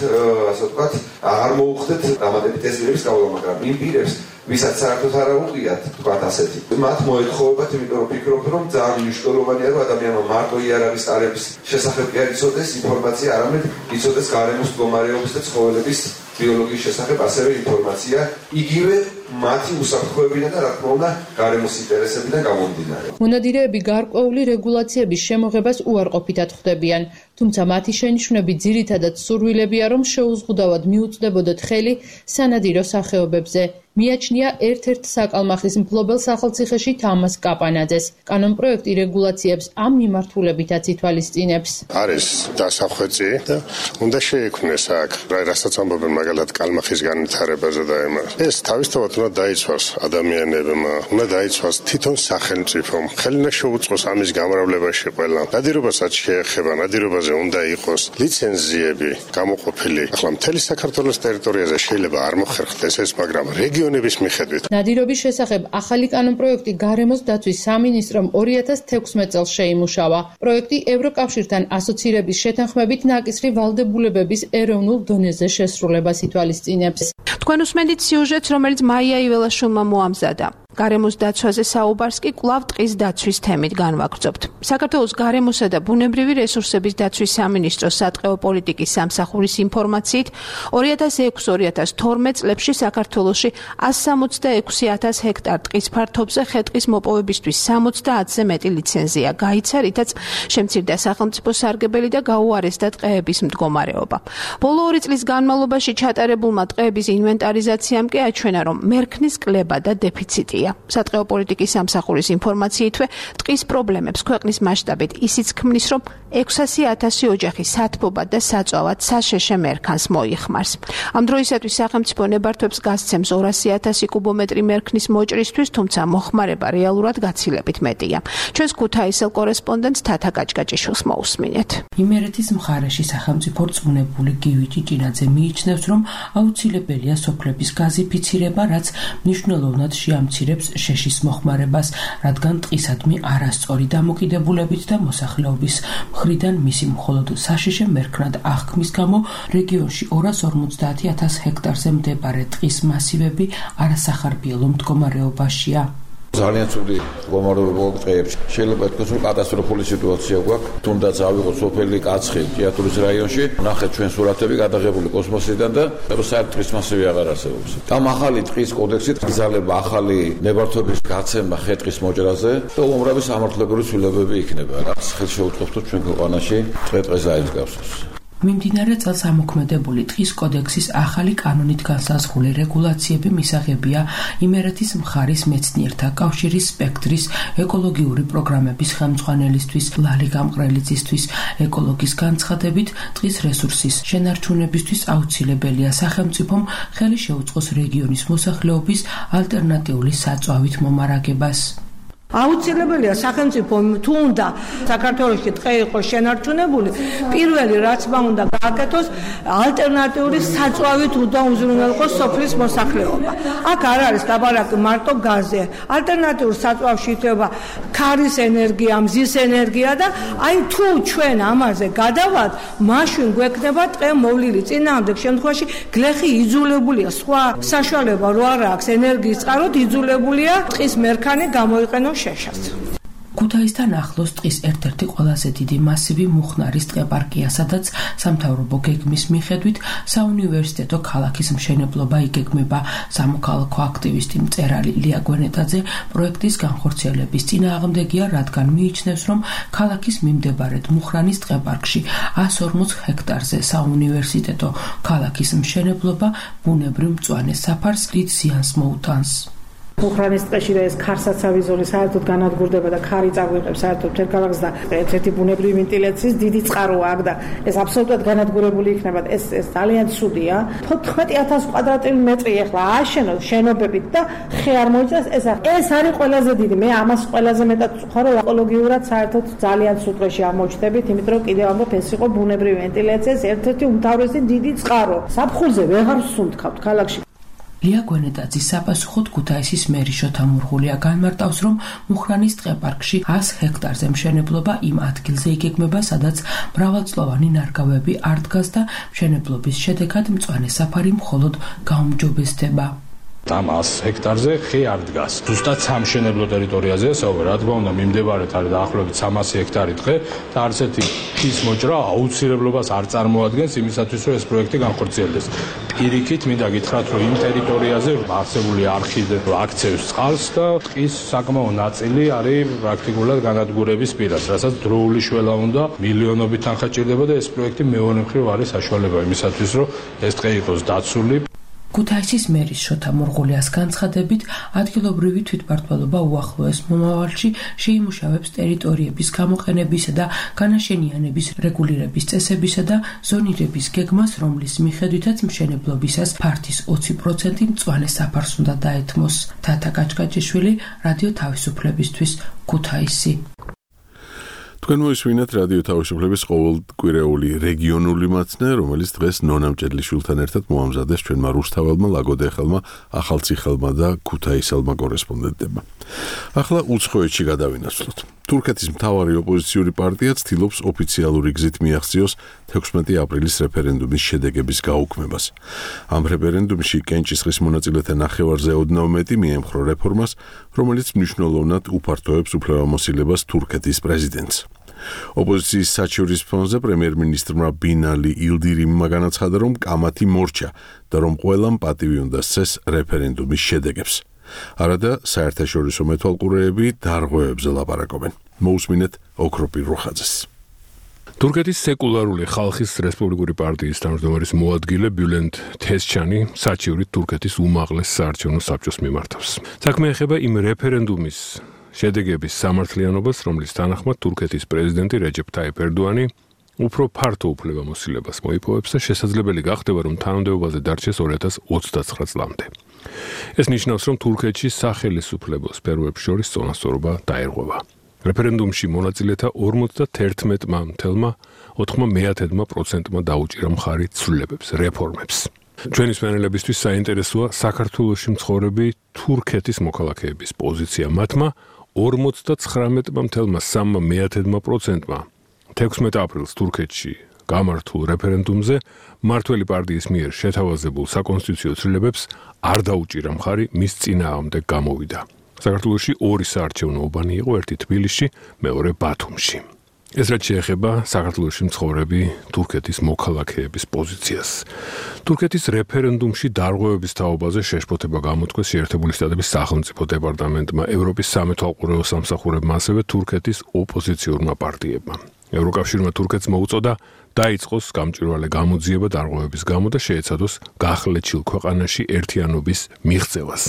ასე ვთქვათ, აღარ მოუხდეთ დამატებით ტესტირების გავლა, მაგრამ იმ პირებს, ვისაც საერთოდ არ აუღიათ, ვთქვათ ასეთი. მათ მოეთხოვებათ, იმიტომ რომ ფიქრობთ, რომ ძალიან მნიშვნელოვანია, რომ ადამიანმა მარტო იარაღის ტარების შესახებ კი არ იცოდეს ინფორმაცია, არამედ იცოდეს გარემოს მდგომარეობის და ცხოველების ბიოლოგიის შესახებ ასევე ინფორმაცია, იგივე მათი უსაფრთხოებიდან და რა თქმა უნდა გარემოს ინტერესებიდან გამომდინარე. მონადირეები გარკვეული რეგულაციების შემოღებას უარყოფითად ხვდებიან, თუმცა მათი შენიშვნები ძირითადად სურვილებია, რომ შეუზღუდავად მიუწვდებოდათ ხელი სანადირო სახეობებზე. მიაჩნია ერთ-ერთ საკალმახის მფლობელ სახელმწიფოში თამას კაპანაძეს. კანონპროექტი რეგულაციებს ამ მიმართულებითაც ითვალისწინებს. არის დასახვეწი და უნდა შეექმნეს აქ, რასაც ამბობენ მაგალითად კალმახის განვითარებაზე და იმას. ეს თავისთავად უნდა დაიცვას ადამიანებმა, უნდა დაიცვას თვითონ სახელმწიფომ. ხელი უნდა შეუწყოს ამის გამრავლებაში ყველა. ნადირობასაც შეეხება, ნადირობაზე უნდა იყოს ლიცენზიები გამოყოფილი. ახლა მთელი საქართველოს ტერიტორიაზე შეიძლება არ მოხერხდეს ეს, მაგრამ რეგიონების მიხედვით. ნადირობის შესახებ ახალი კანონპროექტი გარემოს დაცვის სამინისტრომ 2016 წელს შეიმუშავა. პროექტი ევროკავშირთან ასოცირების შეთანხმებით ნაკისრი ვალდებულებების ეროვნულ დონეზე შესრულებას ითვალისწინებს. თქვენ უსმენთ სიუჟეტს, რომელიც მაია იველაშვილმა მოამზადა. გარემოს დაცვაზე საუბარს კი კვლავ ტყის დაცვის თემით განვაგრძობთ. საქართველოს გარემოსა და ბუნებრივი რესურსების დაცვის სამინისტროს სატყეო პოლიტიკის სამსახურის ინფორმაციით 2006-2012 წლებში საქართველოში 166,000 ჰექტარ ტყის ფართობზე ხე-ტყის მოპოვებისთვის 70-ზე მეტი ლიცენზია გაიცა, რითაც შემცირდა სახელმწიფო სარგებელი და გაუარესდა ტყეების მდგომარეობა. ბოლო 2 წლის განმავლობაში ჩატარებულმა ტყეების ინვენტარიზაციამ კი აჩვენა, რომ მერქნის კლება და დეფიციტია. სატყეო პოლიტიკის სამსახურის ინფორმაციითვე ტყის პრობლემებს ქვეყნის მასშტაბით ისიც ქმნის, რომ 600,000 ოჯახი სათბობად და საწვავად საშეშე მერქანს მოიხმარს. ამ დროისათვის სახელმწიფო ნებართვებს გასცემს 200,000 კუბომეტრი მერქნის მოჭრისთვის, თუმცა მოხმარება რეალურად გაცილებით მეტია. ჩვენს ქუთაისელ კორესპონდენტს თათა კაჭკაჭიშვილს მოусმინეთ. იმერეთის მხარეში სახელმწიფო რწმუნებული გივი ჭიჭინაძე მიიჩნევს, რომ აუცილებელია სოფლების გაზიფიცირება, რაც მნიშვნელოვნად შეამცირებს შეშის მოხმარებას, რადგან ტყისადმი არასწორი დამოკიდებულებით და მოსახლეობის მხრიდან მისი მხოლოდ საშიშე მერქნად აღქმის გამო რეგიონში 250,000 ჰექტარზე მდებარე ტყის მასივები არასახარბიელო მდგომარეობაშია. ძალიან ცუდი მდგომარეობა ტყეებში. შეიძლება ითქვას, რომ კატასტროფული სიტუაცია გვაქვს. თუნდაც ავიღოთ სოფელი კაცხი ჭიათურის რაიონში, ნახეთ ჩვენ სურათები გადაღებული კოსმოსიდან და საერთოდ ტყის მასივი აღარ არსებობს. ამ ახალი ტყის კოდექსით გზალება ახალი ნებართვების გაცემა ხე-ტყის მოჭრაზე და უამრავი სამართლებრივი ცვლილებები იქნება, რაც ხელს შეუწყობს თუ ჩვენ ქვეყანაში ტყე-ტყეს აიძგავსოს. მიმდინარე წელს ამოქმედებული ტყის კოდექსის ახალი კანონით განსაზღვრული რეგულაციები მისაღებია იმერეთის მხარის მეცნიერთა კავშირის სპექტრის ეკოლოგიური პროგრამების ხელმძღვანელისთვის, ლალი გამყრელიძისთვის. ეკოლოგის განცხადებით, ტყის რესურსის შენარჩუნებისთვის აუცილებელია სახელმწიფომ ხელი შეუწყოს რეგიონის მოსახლეობის ალტერნატიული საწვავით მომარაგებას. აუცილებელია სახელმწიფომ თუ უნდა საქართველოში ტყე იყოს შენარჩუნებული, პირველი რაც უნდა გააკეთოს, ალტერნატიული საწვავით უნდა უზრუნველყოს სოფლის მოსახლეობა. აქ არ არის ლაბარაკი მარტო გაზზე. ალტერნატიულ საწვავში ითვლება ქარის ენერგია, მზის ენერგია და აი თუ ჩვენ ამაზე გადავალთ, მაშინ გვექნება ტყე მოვლილი. წინააღმდეგ შემთხვევაში გლეხი იძულებულია, სხვა საშუალება რო არ აქვს ენერგიის წყაროდ იძულებულია ტყის მერქანი გამოიყენოს შეშას. ქუთაისთან ახლოს ტყის ერთ-ერთი ყველაზე დიდი მასივი მუხნარის ტყეპარკია, სადაც სამთავრობო გეგმის მიხედვით საუნივერსიტეტო ქალაქის მშენებლობა იგეგმება. სამოქალაქო აქტივისტი მწერალი ლია გვენეტაძე პროექტის განხორციელების წინააღმდეგია, რადგან მიიჩნევს, რომ ქალაქის მიმდებარედ მუხრანის ტყეპარკში 140 ჰექტარზე საუნივერსიტეტო ქალაქის მშენებლობა ბუნებრივ მწვანე საფარს დიდ ზიანს მოუტანს. მუხრანის ტყეში და ეს ქარსაცავი ზოლი საერთოდ განადგურდება და ქარი წაგვიღებს საერთოდ მთელ ქალაქს და ერთ-ერთი ბუნებრივი ვენტილაციის დიდი წყაროა აქ და ეს აბსოლუტურად განადგურებული იქნება. ეს ძალიან ცუდია. 14,000 კვადრატული მეტრი ახლა ააშენოს შენობებით და ხე არ მოიწეს. ეს არის ყველაზე დიდი. მე ამას ყველაზე მეტად ვწუხარ, რომ ეკოლოგიურად საერთოდ ძალიან ცუდ დღეში ამოჩნდებით, იმიტომ რომ კიდევ ამბობ ეს იყო ბუნებრივი ვენტილაციის ერთ-ერთი უმთავრესი დიდი წყარო. საფხულზე ვეღარ ვსუნთქავთ ქალაქში. ლია გვენეტაძის საპასუხოდ ქუთაისის მერი შოთა მურღულია განმარტავს, რომ მუხრანის ტყეპარკში 100 ჰექტარზე მშენებლობა იმ ადგილზე იგეგმება, სადაც მრავალწლოვანი ნარგავები არ დგას და მშენებლობის შედეგად მწვანე საფარი მხოლოდ გაუმჯობესდება. ამ 100 ჰექტარზე ხე არ დგას. ზუსტად სამშენებლო ტერიტორიაზეა საუბარი. რა თქმა უნდა, მიმდებარედ არის დაახლოებით 300 ჰექტარი ტყე და არც ერთი ხის მოჭრა აუცილებლობას არ წარმოადგენს იმისათვის, რომ ეს პროექტი განხორციელდეს. პირიქით მინდა გითხრათ, რომ იმ ტერიტორიაზე არსებული არხი აქცევს წყალს და ტყის საკმაო ნაწილი არის პრაქტიკულად განადგურების პირას, რასაც დროული შველა უნდა მილიონობით თანხა ჭირდება და ეს პროექტი მეორე მხრივ არის საშუალება იმისათვის, რომ ეს ტყე იყოს დაცული. ქუთაისის მერის შოთა მურღულიას განცხადებით, ადგილობრივი თვითმმართველობა უახლოეს მომავალში შეიმუშავებს ტერიტორიების გამოყენებისა და განაშენიანების რეგულირების წესებისა და ზონირების გეგმას, რომლის მიხედვითაც მშენებლობისას ფართის 20% მწვანე საფარს უნდა დაეთმოს. თათა კაჭკაჭიშვილი, რადიო თავისუფლებისთვის, ქუთაისი. თქვენ მოისმინეთ რადიო თავისუფლების ყოველკვირეული რეგიონული მაცნე, რომელიც დღეს ნონა მჭედლიშვილთან ერთად მოამზადეს ჩვენმა რუსთაველმა, ლაგოდეხელმა, ახალციხელმა და ქუთაისელმა კორესპონდენტებმა. ახლა უცხოეთში გადავინაცვლოთ. თურქეთის მთავარი ოპოზიციური პარტია ცდილობს ოფიციალური გზით მიაღწიოს 16 აპრილის რეფერენდუმის შედეგების გაუქმებას. ამ რეფერენდუმში კენჭისყრის მონაწილეთა ნახევარზე ოდნავ მეტი მიემხრო რეფორმას, რომელიც მნიშვნელოვნად უფართოებს უფლებამოსილებას თურქეთის პრეზიდენტს. ოპოზიციის საჩივრის ფონზე პრემიერ-მინისტრმა ბინალი ილდირიმმა განაცხადა, რომ კამათი მორჩა და რომ ყველამ პატივი უნდა სცეს რეფერენდუმის შედეგებს. არადა საერთაშორისო მეთვალყურეები დარღვევებზე ლაპარაკობენ. მოусმინეთ ოქროპირ რუხაძეს. თურქეთის სეკულარული ხალხის რესპუბლიკური პარტიის თავმჯდომარის მოადგილე ბიულენდ თესჩანი საჩივრით თურქეთის უმაღლეს საარჩევნო საბჭოს მიმართავს. საქმე ეხება იმ რეფერენდუმის შედეგების სამართლიანობას, რომლის თანახმად თურქეთის პრეზიდენტი რეჯეფ ტაიპ ერდოანი უფრო ფართო უფლებამოსილებას მოიპოვებს და შესაძლებელი გახდება, რომ თანამდებობაზე დარჩეს 2029 წლამდე. ეს ნიშნავს, რომ თურქეთში სახელისუფლებო სფეროებს შორის წონასწორობა დაერღვევა. რეფერენდუმში მონაწილეთა 51,9% დაუჭირა მხარი ცვლილებებს, რეფორმებს. ჩვენი მსმენელებისთვის საინტერესოა საქართველოში მცხოვრები თურქეთის მოქალაქეების პოზიცია. მათმა 59,3%-მა 16 აპრილს თურქეთში გამართულ რეფერენდუმზე მმართველი პარტიის მიერ შეთავაზებულ საკონსტიტუციო ცვლილებებს არ დაუჭირა მხარი, მის წინააღმდეგ გამოვიდა. საქართველოში ორი საარჩევნო უბანი იყო, ერთი თბილისში, მეორე ბათუმში. ეს რაც შეეხება საქართველოში მცხოვრები თურქეთის მოქალაქეების პოზიციას. თურქეთის რეფერენდუმში დარღვევების თაობაზე შეშფოთება გამოთქვეს შეერთებული შტატების სახელმწიფო დეპარტამენტმა, ევროპის სამეთვალყურეო სამსახურებმა, ასევე თურქეთის ოპოზიციურმა პარტიებმა. ევროკავშირმა თურქეთს მოუწოდა დაიწყოს გამჭვირვალე გამოძიება დარღვევების გამო და შეეცადოს გახლეჩილ ქვეყანაში ერთიანობის მიღწევას.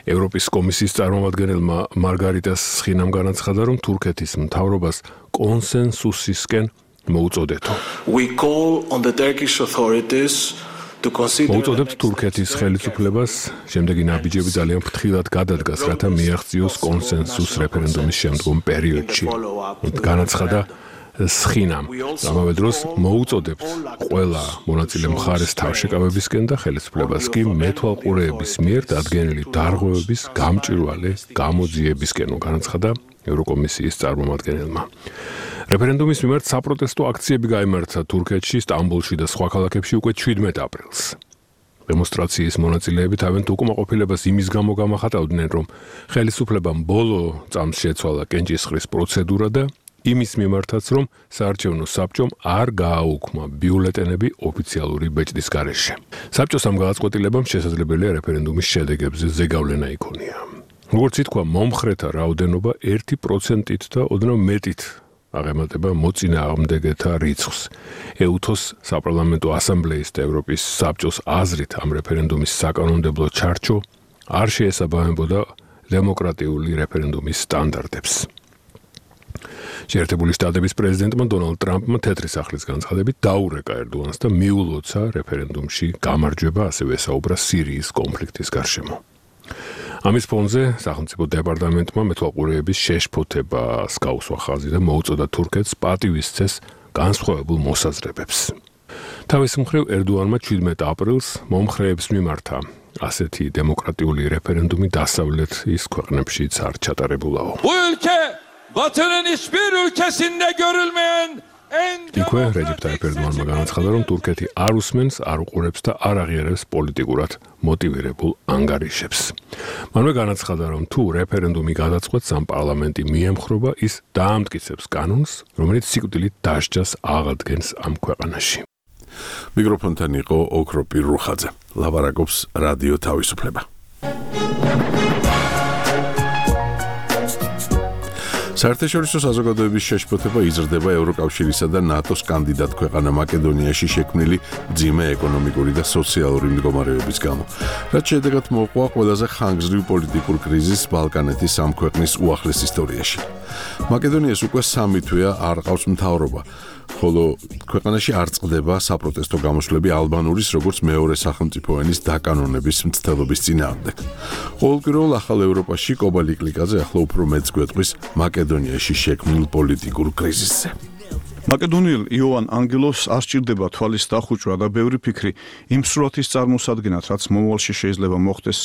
ევროპის კომისიის წარმომადგენელმა მარგარიტას სხინამ განაცხადა, რომ თურქეთის მთავრობას კონსენსუსისკენ მოუწოდეთო. მოუწოდებთ თურქეთის ხელისუფლებას შემდეგი ნაბიჯები ძალიან ფრთხილად გადადგას, რათა მიაღწიოს კონსენსუს რეფერენდუმის შემდგომ პერიოდში. განაცხადა სხინამ. ამავე დროს მოუწოდებთ ყველა მონაწილე მხარეს თავშეკავებისკენ და ხელისუფლებას კი მეთვალყურეების მიერ დადგენილი დარღვევების გამჭვირვალე გამოძიებისკენ, განაცხადა ევროკომისიის წარმომადგენელმა. რეფერენდუმის მიმართ საპროტესტო აქციები გაიმართა თურქეთში, სტამბოლში და სხვა ქალაქებში უკვე 17 აპრილს. დემონსტრაციის მონაწილეები თავიანთ უკმაყოფილებას იმის გამო გამახატავდნენ, რომ ხელისუფლებამ ბოლო წამს შეცვალა კენჭისყრის პროცედურა და იმის მიმართაც, რომ საარჩევნო საბჭომ არ გააუქმა ბიულეტენები ოფიციალური ბეჭდის გარეშე. საბჭოს ამ გადაწყვეტილებამ შესაძლებელია რეფერენდუმის შედეგებზე ზეგავლენა იქონია. როგორც ითქვა, მომხრეთა რაოდენობა 1%-ით და ოდნავ მეტით აღემატება მოწინააღმდეგეთა რიცხვს. ეუთოს საპარლამენტო ასამბლეის და ევროპის საბჭოს აზრით ამ რეფერენდუმის საკანონმდებლო ჩარჩო არ შეესაბამებოდა დემოკრატიული რეფერენდუმის სტანდარტებს. შეერთებული შტატების პრეზიდენტმა დონალდ ტრამპმა თეთრი სახლის განცხადებით დაურეკა ერდოანს და მიულოცა რეფერენდუმში გამარჯვება, ასევე ესაუბრა სირიის კონფლიქტის გარშემო. ამის ფონზე სახელმწიფო დეპარტამენტმა მეთვალყურეების შეშფოთებას გაუსვა ხაზი და მოუწოდა თურქეთს პატივი სცეს განსხვავებულ მოსაზრებებს. თავის მხრივ ერდოანმა 17 აპრილს მომხრეებს მიმართა ასეთი დემოკრატიული რეფერენდუმი დასავლეთის ქვეყნებშიც არ ჩატარებულაო. Batı'nın hiçbir ülkesinde görülmeyen იქვე რეჯეფ ტაიპ ერდოანმა განაცხადა, რომ თურქეთი არ უსმენს, არ უყურებს და არ აღიარებს პოლიტიკურად მოტივირებულ ანგარიშებს. მანვე განაცხადა, რომ თუ რეფერენდუმი გადაწყვეტს, ამ პარლამენტი მიემხრობა, ის დაამტკიცებს კანონს, რომელიც სიკვდილით დასჯას აღადგენს ამ ქვეყანაში. მიკროფონთან იყო ოქროპირ რუხაძე. ლაპარაკობს რადიო თავისუფლება. საერთაშორისო საზოგადოების შეშფოთება იზრდება ევროკავშირისა და ნატოს კანდიდატ ქვეყანა მაკედონიაში შექმნილი მძიმე ეკონომიკური და სოციალური მდგომარეობის გამო. რაც შედეგად მოჰყვა ყველაზე ხანგრძლივ პოლიტიკურ კრიზისს ბალკანეთის ამ ქვეყნის უახლეს ისტორიაში. მაკედონიას უკვე 3 თვეა არ ყავს მთავრობა. ხოლო ქვეყანაში არ წყდება საპროტესტო გამოსვლები ალბანურის როგორც მეორე სახელმწიფო ენის დაკანონების მცდელობის წინააღმდეგ. ყოველკვირეულ ახალ ევროპაში კობა ლიკლიკაძე ახლა უფრო მეც გვეტყვის მაკედონიაში შექმნილ პოლიტიკურ კრიზისზე. მაკედონიელ იოვან ანგელოს არ სჭირდება თვალის დახუჭვა და ბევრი ფიქრი იმ სურათის წარმოსადგენად, რაც მომავალში შეიძლება მოხდეს.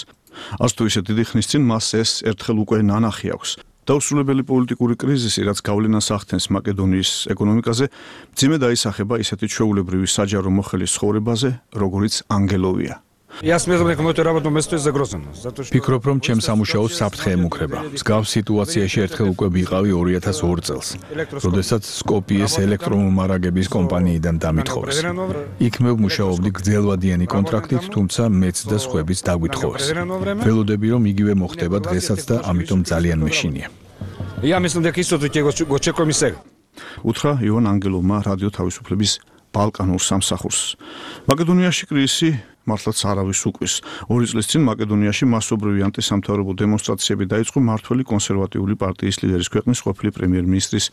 არც თუ ისე დიდი ხნის წინ მას ეს ერთხელ უკვე ნანახი აქვს. დაუსრულებელი პოლიტიკური კრიზისი, რაც გავლენას ახდენს მაკედონიის ეკონომიკაზე, მძიმე დაისახება ისეთი ჩვეულებრივი საჯარო მოხელის ცხოვრებაზე, როგორიც ანგელოვია. Ფიქრობ, რომ ჩემს სამუშაოს საფრთხე ემუქრება. მსგავს სიტუაციაში ერთხელ უკვე ვიყავი 2002 წელს, როდესაც სკოპიეს ელექტრომომარაგების კომპანიიდან დამითხოვეს. იქ მე ვმუშაობდი გრძელვადიანი კონტრაქტით, თუმცა მეც და სხვაებიც დაგვითხოვეს. ველოდები, რომ იგივე მოხდება დღესაც და ამიტომ ძალიან მეშინია. უთხრა იოვან ანგელოვმა რადიო თავისუფლების ბალკანურ სამსახურს. მაკედონიაში კრიზისი მართლაც არავის უკვის. 2 წლის წინ მაკედონიაში მასობრივი ანტისამთავრობო დემონსტრაციები დაიწყო მმართველი კონსერვატიული პარტიის ლიდერის ქვეყნის ყოფილი პრემიერ-მინისტრის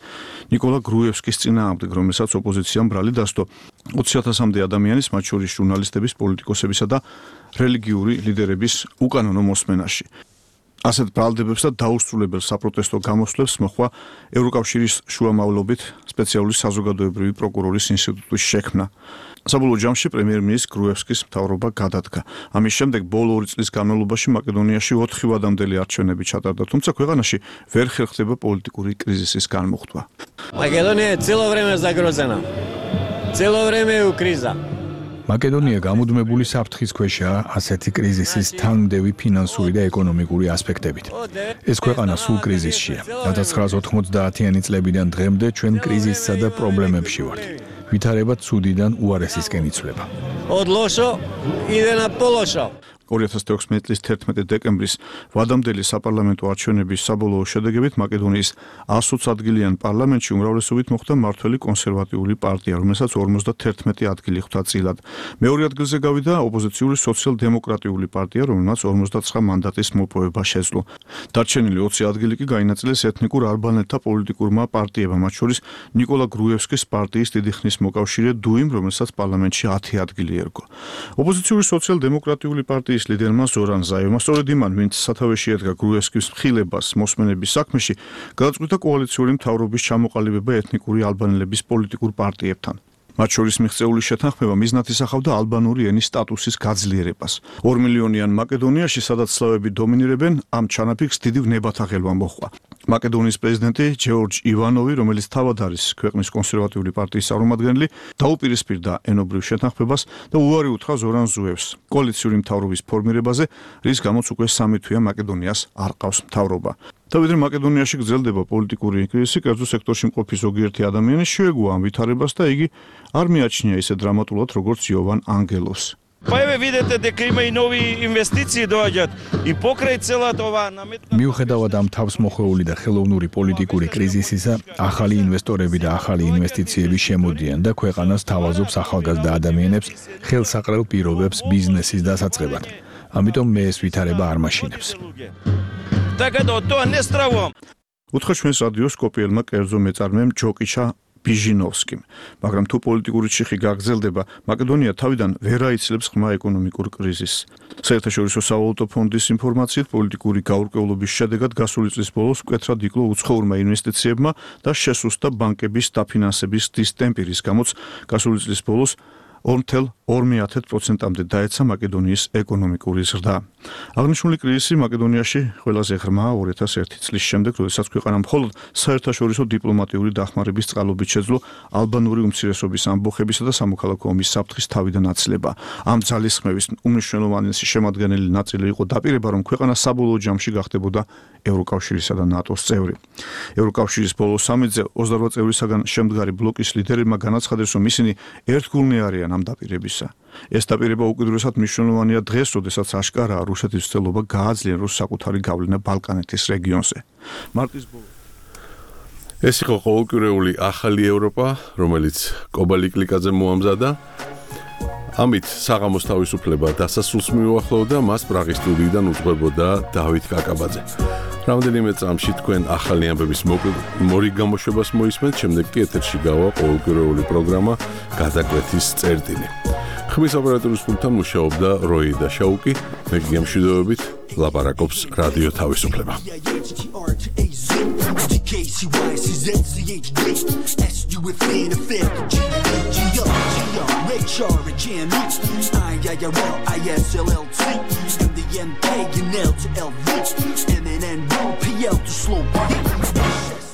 ნიკოლა გრუევსკის წინააღმდეგ, რომელსაც ოპოზიციამ ბრალი დასდო. 20,000-მდე ადამიანის, მათ შორის ჟურნალისტების, პოლიტიკოსებისა და რელიგიური ლიდერების უკანონო მოსმენაში. ასეთ ბრალდებებს და დაუსრულებელ საპროტესტო გამოსვლებს მოჰყვა ევროკავშირის შუამავლობით სპეციალური საზოგადოებრივი პროკურორის ინსტიტუტის შექმნა. საბოლოო ჯამში პრემიერ-მინისტრის გრუევსკის მთავრობა გადადგა. ამის შემდეგ ბოლო 2 წლის განმავლობაში მაკედონიაში 4 ვადამდელი არჩევნები ჩატარდა, თუმცა ქვეყანაში ვერ ხერხდება პოლიტიკური კრიზისის განმუხტვა. Makedonia целое время загрозена. Целое время у криза. მაკედონია გამუდმებული საფრთხის ქვეშაა ასეთი კრიზისის თანმდევი ფინანსური და ეკონომიკური ასპექტებით. ეს ქვეყანა სულ კრიზისშია. 1990-იანი წლებიდან დღემდე ჩვენ კრიზისსა და პრობლემებში ვართ. ვითარება ცუდიდან უარესისკენ იცვლება. 2016 წლის 11 დეკემბრის ვადამდელი საპარლამენტო არჩევნების საბოლოო შედეგებით მაკედონიის 120 ადგილიან პარლამენტში უმრავლესობით მოხვდა მმართველი კონსერვატიული პარტია, რომელსაც 51 ადგილი ხვდა წილად. მეორე ადგილზე გავიდა ოპოზიციური სოციალ-დემოკრატიული პარტია, რომელმაც 59 მანდატის მოპოვება შეძლო. დარჩენილი 20 ადგილი კი გაინაწილეს ეთნიკურ ალბანელთა პოლიტიკურმა პარტიებმა, მათ შორის ნიკოლა გრუევსკის პარტიის დიდი ხნის მოკავშირე დუიმ, რომელსაც პარლამენტში 10 ადგილი ერგო. ოპოზიციური სოციალ-დემოკრატიული პარტიის ლიდერმა ზორან ზაევმა სწორედ იმან, ვინც სათავეში ედგა გრუევსკის მხილებას მოსმენების საქმეში, გადაწყვიტა კოალიციური მთავრობის ჩამოყალიბება ეთნიკური ალბანელების პოლიტიკურ პარტიებთან. მათ შორის მიღწეული შეთანხმება მიზნად ისახავდა ალბანური ენის სტატუსის გაძლიერებას. 2 მილიონიან მაკედონიაში, სადაც სლავები დომინირებენ, ამ ჩანაფიქრს დიდი ვნებათა ხელვა მოჰყვა. მაკედონიის პრეზიდენტი ჯორჯ ივანოვი, რომელიც თავად არის ქვეყნის კონსერვატიული პარტიის წარმომადგენელი, დაუპირისპირდა ენობრივ შეთანხმებას და უარი უთხრა ზორან ზუევს კოალიციური მთავრობის ფორმირებაზე, რის გამოც უკვე 3 თვეა მაკედონიას არ ყავს მთავრობა. თავიდრე მაკედონიაში გრძელდება პოლიტიკური კრიზისი, კერძო სექტორში მყოფი ზოგიერთი ადამიანი შეეგუა ამ ვითარებას და იგი არ მიაჩნია ისე დრამატულად, როგორც იოვან ანგელოს. მიუხედავად ამ თავსმოხვეული და ხელოვნური პოლიტიკური კრიზისისა, ახალი ინვესტორები და ახალი ინვესტიციები შემოდიან და ქვეყანას თავაზობს ახალგაზრდა ადამიანებს ხელსაყრელ პირობებს ბიზნესის დასაწყებად. ამიტომ მე ეს ვითარება არ მაშინებს. უთხრა ჩვენს რადიოს სკოპიელმა კერძო მეწარმემ ჯოკიჩა ბიჟინოვსკიმ, მაგრამ თუ პოლიტიკური ჩიხი გაგრძელდება, მაკედონია თავიდან ვერ აიცლებს ღრმა ეკონომიკურ კრიზისს. საერთაშორისო სავალუტო ფონდის ინფორმაციით, პოლიტიკური გაურკვევლობის შედეგად გასული წლის ბოლოს მკვეთრად იკლო უცხოურმა ინვესტიციებმა და შესუსტდა ბანკების დაფინანსების დისტემპი, რის გამოც გასული წლის ბოლოს 2,2%-მდე დაეცა მაკედონიის ეკონომიკური ზრდა. აღნიშნული კრიზისი მაკედონიაში ყველაზე ღრმა 2001 წლის შემდეგ, როდესაც ქვეყანა მხოლოდ საერთაშორისო დიპლომატიური დახმარების წყალობით შეძლო ალბანური უმცირესობის ამბოხებისა და სამოქალაქო ომის საფრთხის თავიდან აცლება. ამ ძალისხმევის უმნიშვნელოვანესი შემადგენელი ნაწილი იყო დაპირება, რომ ქვეყანა საბოლოო ჯამში გახდებოდა ევროკავშირისა და ნატოს წევრი. ევროკავშირის ბოლო სამიტზე 28 წევრისაგან შემდგარი ბლოკის ლიდერებმა განაცხადეს, რომ ისინი ერთგულნი არიან ამ დაპირებისა. ეს დაპირება უკიდურესად მნიშვნელოვანია დღეს, როდესაც აშკარაა რუსეთის ცდილობა გააძლიეროს საკუთარი გავლენა ბალკანეთის რეგიონზე. მარტის ბოლოს ეს იყო ყოველკვირეული ახალი ევროპა, რომელიც კობალიკლიკაძე მოამზადა. ამით საღამოს თავისუფლება დასასრულს მიუახლოვდა, მას პრაღის სტუდიიდან უძღვებოდა დავით კაკაბაძე. რამდენიმე წამში თქვენ ახალი ამბების მორი გამოშვებას მოისმენთ, შემდეგ კი ეთერში გავა ყოველკვირეული პროგრამა გადაკვეთის წერტილი. ხმის ოპერატორის პულტთან მუშაობდა როი და შაუკი, მე გემშვიდობებით ლაპარაკობს რადიო თავისუფლება. MNN, PL to slow